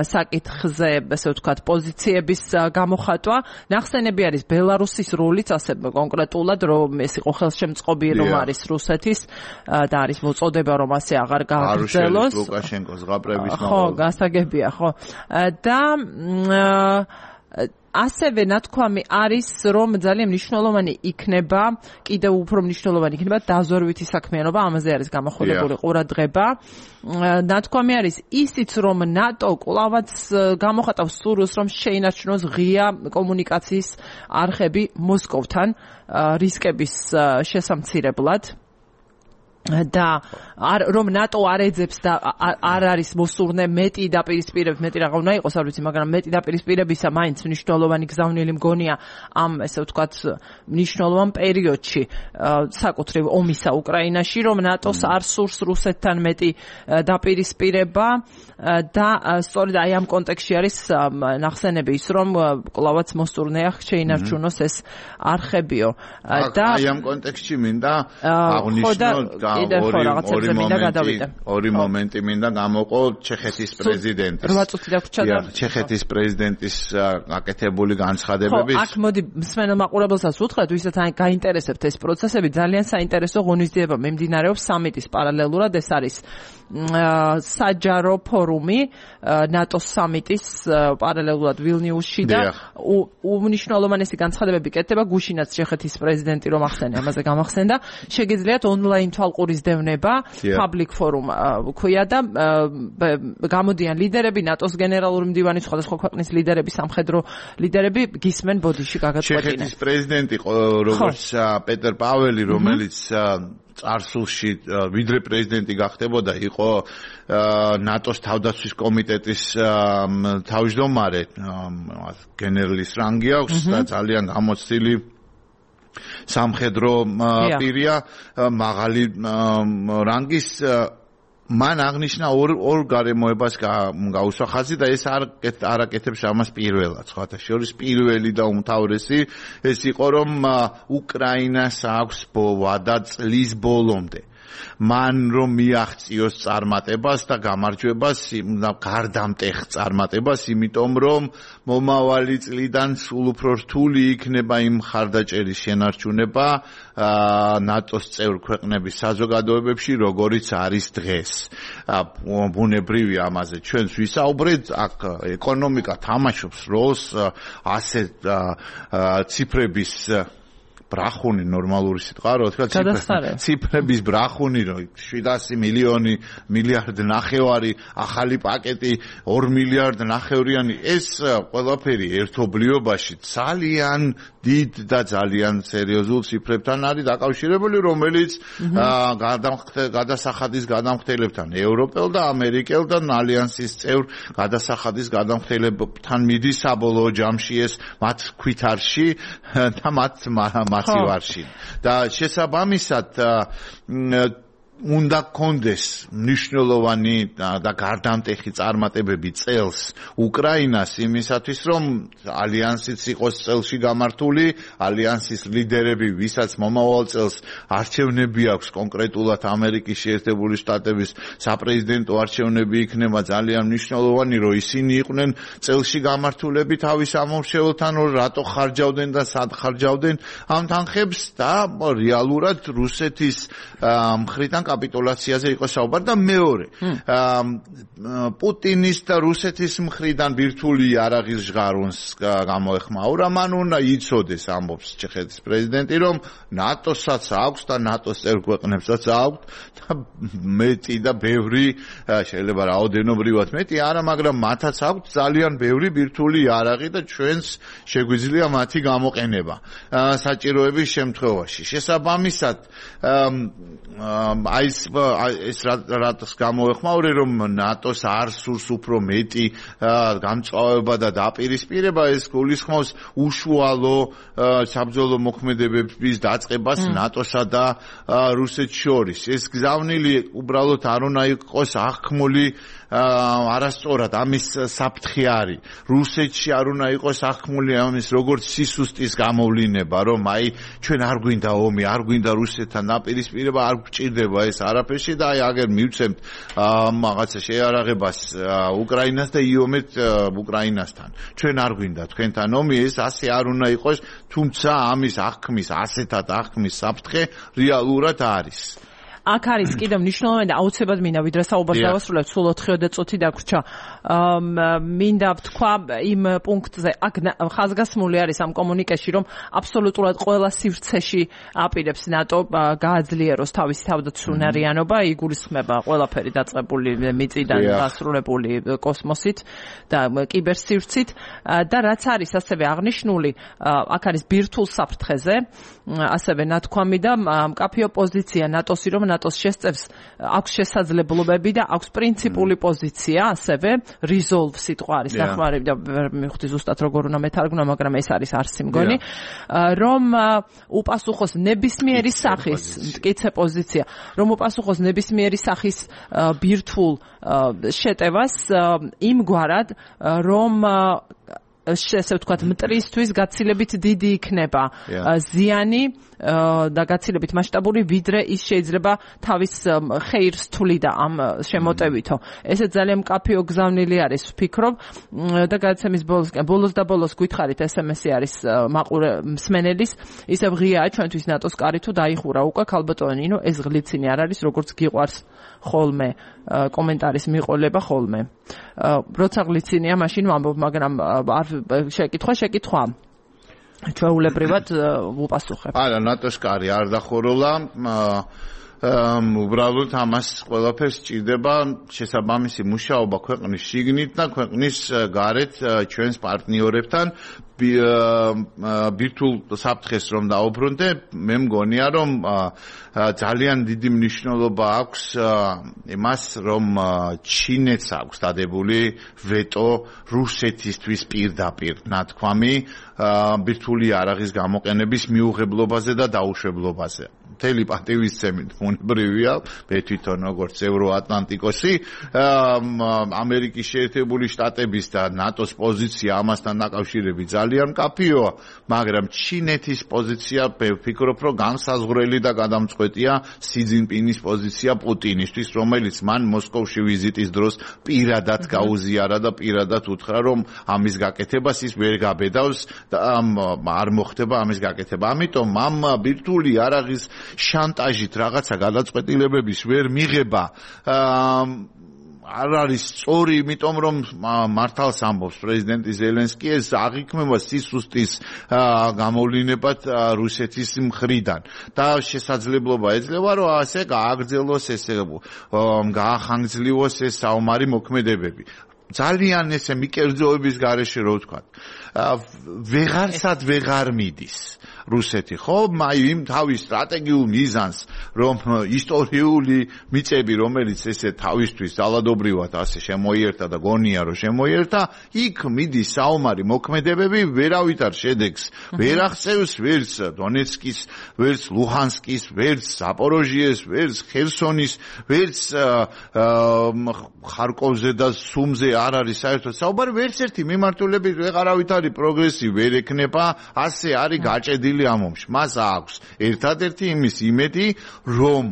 [SPEAKER 1] საკითხზე, ასე ვთქვათ, პოზიციების გამოხატვა. ნახსენები არის ბელარუსის როლიც ასე კონკრეტულად, რომ ეს იყო ხელშემწყობი რომ არის რუსეთის და არის მოწოდება რომ ასე აღარ გააგრძელოს.
[SPEAKER 2] ლუკაშენკოს ზღაპრების
[SPEAKER 1] ხო, გასაგებია, ხო. და ასევე ნათქვამი არის, რომ ძალიან მნიშვნელოვანი იქნება, კიდევ უფრო მნიშვნელოვანი იქნება დაზვერვითი საქმიანობა, ამაზე არის გამოხოლებული ყურადღება. ნათქვამი არის ისიც, რომ ნატო კვლავაც გამოხატავს სურვილს, რომ შეინარჩუნოს ღია კომუნიკაციის არხები მოსკოვთან რისკების შესამცირებლად. და რომ ნატო არ ეძებს და არ არის მოსურნე მეტი დაპირისპირების, მეტი რაღა უნდა იყოს, არ ვიცი, მაგრამ მეტი დაპირისპირებისა მაინც მნიშვნელოვანი გზავნილი მგონია ამ, ესე ვთქვათ, მნიშვნელოვან პერიოდში საკუთრივ ომისა უკრაინაში, რომ ნატოს არ სურს რუსეთთან მეტი დაპირისპირება და სწორედ აი ამ კონტექსტში არის ნახსენები ის, რომ კვლავაც მოსურნეა შეინარჩუნოს ეს არხებიო. და
[SPEAKER 2] აი ამ კონტექსტში მინდა აღნიშნოთ ორი მომენტი მინდა გამოვყო ჩეხეთის პრეზიდენტის.
[SPEAKER 1] 8 წუთი დაგვრჩა.
[SPEAKER 2] ჩეხეთის პრეზიდენტის გაკეთებული განცხადებების.
[SPEAKER 1] აქ მოდი მსმენელ მაყურებელსაც უთხრათ, ვისაც გაინტერესებთ ეს პროცესები, ძალიან საინტერესო ღონისძიება მიმდინარეობს სამიტის პარალელურად, ეს არის საჯარო ფორუმი ნატოს სამიტის პარალელურად ვილნიუსში და უმნიშვნელოვანესი განცხადებები კეთდება გუშინაც ჩეხეთის პრეზიდენტი რომ ახსენე, ამაზე გამახსენდა. შეგიძლიათ ონლაინ თვალყურისდევნება public forum ქვია და გამოდიან ლიდერები, ნატოს გენერალური მდივანი, სხვადასხვა ქვეყნის ლიდერები, სამხედრო ლიდერები გისმენ ბოდიში გაგაწყვეტინე.
[SPEAKER 2] ჩეხეთის პრეზიდენტი როგორც პეტერ პაველი, რომელიც წარსულში ვიდრე პრეზიდენტი გახდებოდა, იყო ნატოს თავდაცვის კომიტეტის თავმჯდომარე, გენერლის რანგი აქვს და ძალიან გამოცდილი სამხედრო პირია, მაღალი რანგის. მან აღნიშნა ორ გარემოებას გაუსვა ხაზი და ეს არ აკეთებს ამას პირველად. სხვათა შორის პირველი და უმთავრესი ეს იყო, რომ უკრაინას აქვს ვადა წლის ბოლომდე მან რომ მიაღწიოს წარმატებას და გამარჯვებას, გარდამტეხ წარმატებას, იმიტომ რომ მომავალი წლიდან სულ უფრო რთული იქნება იმ მხარდაჭერის შენარჩუნება ნატოს წევრ ქვეყნების საზოგადოებებში, როგორიც არის დღეს. ბუნებრივი ამაზე ჩვენს ვისაუბრეთ, აქ ეკონომიკა თამაშობს როლს, ასე ციფრების ბრახუნი ნორმალური სიტყვა რო თქვა ციფრების ბრახუნი რო 700 მილიონი მილიარდ ნახევარი ახალი პაკეტი 2 მილიარდ ნახევრიანი ეს ყველაფერი ერთობლიობაში ძალიან დიდ და ძალიან სერიოზულ ციფრებთან არის დაკავშირებული, რომელიც გადასახადის გადამხდელებთან ევროპელ და ამერიკელ და ალიანსის წევრ გადასახადის გადამხდელებთან მიდის საბოლოო ჯამში ეს მათ ქვითარში და მათ მასივარში და შესაბამისად უნდა კონდეს მნიშვნელოვანი და გარდამტეხი წარმატებები წელს უკრაინას იმისათვის რომ ალიანსიც იყოს წელში გამართული, ალიანსის ლიდერები, ვისაც მომავალ წელს არჩევნები აქვს კონკრეტულად ამერიკის შეერთებული შტატების საპრეზიდენტო არჩევნები იქნება ძალიან მნიშვნელოვანი, რომ ისინი იყვნენ წელში გამართულები თავის ამომრჩეველთან, რომ რატო ხარჯავდნენ და სად ხარჯავდნენ ამ თანხებს და რეალურად რუსეთის მხრიდან კაპიტულაციაზე იყო საუბარი და მეორე პუტინის და რუსეთის მხრიდან ბირთვული იარაღის ჟღარუნს გამოეხმაურა, მან უნდა იცოდეს ამბობს ჩეხეთის პრეზიდენტი, რომ ნატოსაც აქვს და ნატოს წევრ ქვეყნებსაც აქვს და მეტი და ბევრი შეიძლება რაოდენობრივად მეტი არა, მაგრამ მათაც აქვს ძალიან ბევრი ბირთვული იარაღი და ჩვენს შეგვიძლია მათი გამოყენება საჭიროების შემთხვევაში. შესაბამისად ეს რატოს გამოეხმაურე, რომ ნატოს არ სურს უფრო მეტი გამწვავება და დაპირისპირება, ეს გულისხმობს უშუალო საბრძოლო მოქმედებების დაწყებას ნატოსა და რუსეთს შორის. ეს გზავნილი უბრალოდ არ უნდა იყოს აღქმული არასწორად ამის საფრთხე არის. რუსეთში არ უნდა იყოს აღქმული ამის როგორც სისუსტის გამოვლინება, რომ აი ჩვენ არ გვინდა ომი, არ გვინდა რუსეთთან დაპირისპირება, არ გვჭირდება ეს არაფერში და აი აგერ მივცემთ რაღაცა შეარაღებას უკრაინას და იომეთ უკრაინასთან. ჩვენ არ გვინდა თქვენთან ომი, ეს ასე არ უნდა იყოს, თუმცა ამის აღქმის, ასეთად აღქმის საფრთხე რეალურად არის.
[SPEAKER 1] აქ არის კიდევ მნიშვნელოვანი და აუცილებლად მინდა ვიდრე საუბარს დავასრულებ, სულ 4 წუთი დაგვრჩა. მინდა ვთქვა იმ პუნქტზე, აქ ხაზგასმული არის ამ კომუნიკეში, რომ აბსოლუტურად ყველა სივრცეში აპირებს ნატო გააძლიეროს თავისი თავდაცუნარიანობა, იგულისხმება ყველაფერი დაწყებული მიწიდან დასრულებული კოსმოსით და კიბერსივრცით და რაც არის ასევე აღნიშნული, აქ არის ბირთვულ საფრთხეზე, ასევე ნათქვამი და მკაფიო პოზიცია ნატოსი, რომ ნატოს შესწევს აქვს შესაძლებლობები და აქვს პრინციპული პოზიცია, ასევე resolve სიტყვა არის ნახმარი და მივხვდი ზუსტად როგორ უნდა მეთარგმნო, მაგრამ ეს არის არსი მგონი, რომ უპასუხოს ნებისმიერი სახის მტკიცე პოზიცია, რომ უპასუხოს ნებისმიერი სახის ბირთვულ შეტევას იმგვარად, რომ ესე ვთქვათ, მტრისთვის გაცილებით დიდი იქნება ზიანი და გაცილებით მასშტაბური, ვიდრე ის შეიძლება თავის ხეირს თვლიდა ამ შემოტევითო. ესე ძალიან მკაფიო გზავნილი არის, ვფიქრობ და გადაცემის ბოლოს და ბოლოს გითხარით, SMS-ი არის მაყურე მსმენელის, ისევ ღიაა ჩვენთვის ნატოს კარი თუ დაიხურა უკვე ქალბატონი ნინო, ეს ღლიცინი არ არის, როგორც გიყვარს ხოლმე კომენტარის მიყოლება ხოლმე. როცა ღლიცინია, მაშინ ვამბობ, მაგრამ არ შეკითხვა ჩვეულებრივად ვუპასუხებ.
[SPEAKER 2] არა, ნატოს კარი არ დახურულა, უბრალოდ ამას ყველაფერს სჭირდება შესაბამისი მუშაობა ქვეყნის შიგნით და ქვეყნის გარეთ ჩვენს პარტნიორებთან ბირთვულ საფრთხეს რომ დაუბრუნდე, მე მგონია რომ ძალიან დიდი მნიშვნელობა აქვს იმას, რომ ჩინეთს აქვს დადებული ვეტო რუსეთისთვის პირდაპირ ნათქვამი ბირთვული იარაღის გამოყენების მიუღებლობაზე და დაუშვებლობაზე. მთელი პატივისცემით ბუნებრივია, მე თვითონ როგორც ევროატლანტიკოსი, ამერიკის შეერთებული შტატების და ნატოს პოზიცია ამასთან დაკავშირებით ძალიან მკაფიოა, მაგრამ ჩინეთის პოზიცია ვფიქრობ, რომ განსაზღვრელი და გადამწყვეტია სი ძინპინის პოზიცია პუტინისთვის, რომელიც მან მოსკოვში ვიზიტის დროს პირადად გაუზიარა და პირადად უთხრა, რომ ამის გაკეთებას ის ვერ გაბედავს და არ მოხდება ამის გაკეთება. ამიტომ ამ ბირთვული არაღის შანტაჟით რაღაცა გადაწყვეტილებების ვერ მიღება არ არის სწორი, იმიტომ რომ მართალს ამბობს პრეზიდენტი ზელენსკი, ეს აღიქმება სისუსტის გამოვლინებად რუსეთის მხრიდან და შესაძლებლობა ეძლევა, რომ ასე გააგრძელოს, ესე გაახანგრძლივოს ეს საომარი მოქმედებები. ძალიან ესე მიკერძოების გარეშე რო ვთქვა, ვეღარსად ვეღარ მიდის რუსეთი, ხო? იმ თავის სტრატეგიულ მიზანს, რომ ისტორიული მიწები, რომელიც ესე თავისთვის ძალადობრივად ასე შემოიერთა და გონია, რომ შემოიერთა, იქ მიდის საომარი მოქმედებები, ვერავითარ შედეგს ვერ აღწევს, ვერც დონეცკის, ვერც ლუჰანსკის, ვერც ზაპოროჟიეს, ვერც ხერსონის, ვერც ხარკოვზე და სუმზე არ არის საერთოდ საუბარი, ვერც ერთი მიმართულებით ვეღარავითარი პროგრესი ვერ ექნება, ასე არის გაჭედილი ამ ომში. მას აქვს ერთადერთი იმის იმედი, რომ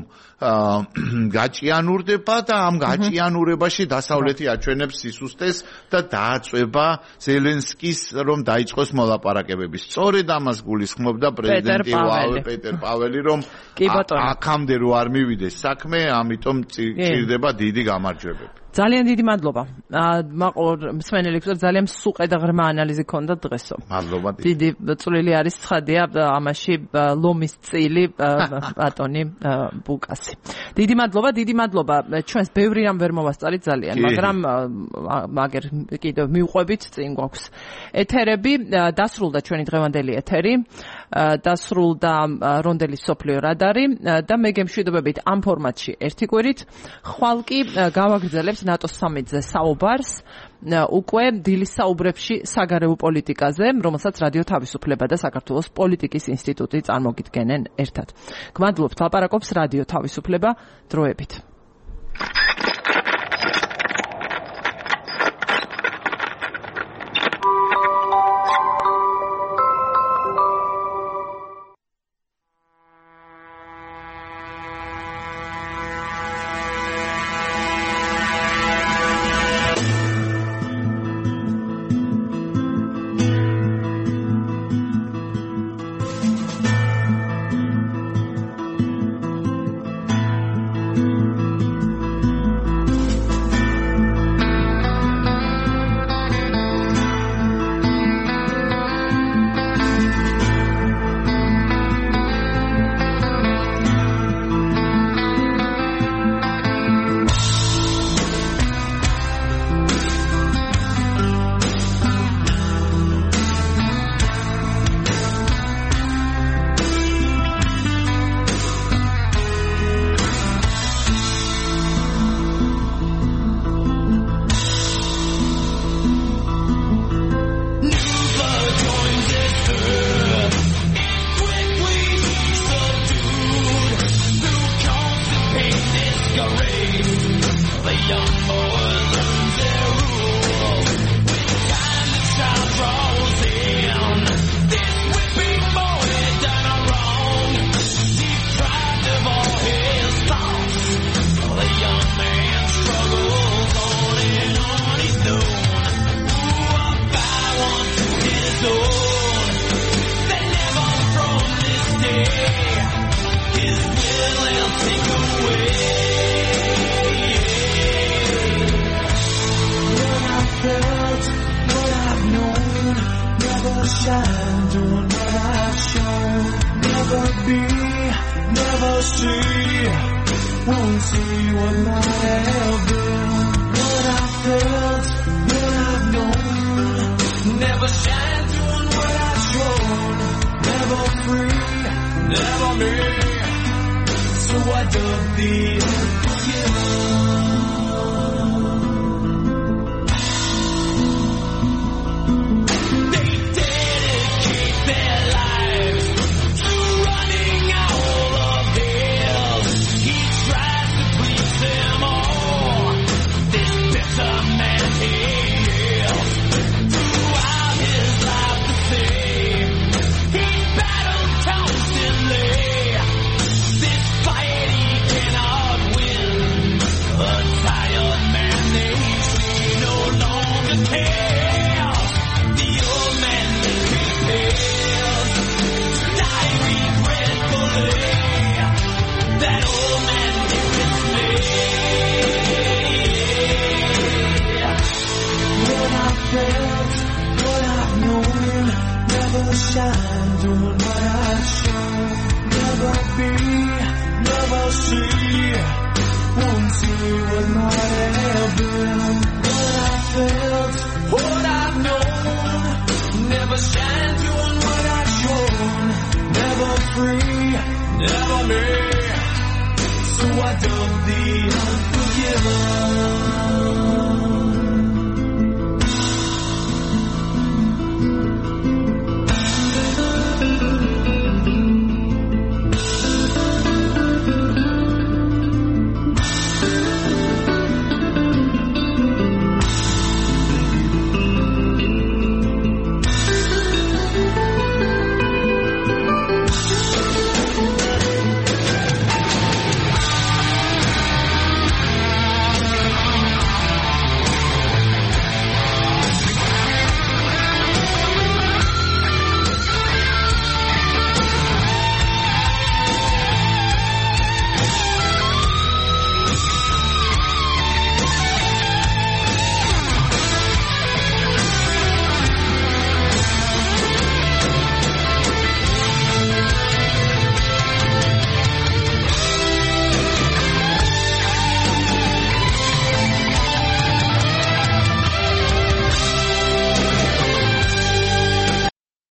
[SPEAKER 2] გაჭიანურდება და ამ გაჭიანურებაში დასავლეთი აჩვენებს სისუსტეს და დააწვება ზელენსკის, რომ დაიწყოს მოლაპარაკებები. სწორედ ამას გულისხმობდა პრეზიდენტი პეტერ პაველი, რომ აქამდე რო არ მივიდეს საქმე, ამიტომ ჭირდება დიდი გამარჯვებები.
[SPEAKER 1] ძალიან დიდი მადლობა. მაყურ მსმენელი გქონდა, ძალიან სუყე და ღრმა ანალიზი ქონდა დღესო.
[SPEAKER 2] მადლობა.
[SPEAKER 1] დიდი წვლილი არის ცხადია ამაში ლომის წილი ბატონი ბუკასი. დიდი მადლობა. ჩვენს ბევრი რამ ვერ მოვასწარით ძალიან, მაგრამ მაგერ კიდევ მივყვებით, წინ გვაქვს ეთერები. დასრულდა ჩვენი დღევანდელი ეთერი. დასრულდა რონდელის სოფლიო რადარი და მე გემშვიდობებით ამ ფორმატში ერთი კვირით. ხვალ კი გავაგრძელებთ ნატოს სამიტზე საუბარს უკვე დილის საუბრებში საგარეო პოლიტიკაზე, რომელსაც რადიო თავისუფლება და საქართველოს პოლიტიკის ინსტიტუტი წარმოგიდგენენ ერთად. გმადლობთ, ლაპარაკობს რადიო თავისუფლება, დროებით.
[SPEAKER 3] Running all of shine doing what I show. Never be, never see. Won't see what might have been. What I felt, what I've known. Never shine doing what I've shown. Never free, never me. So I dump the unforgiven.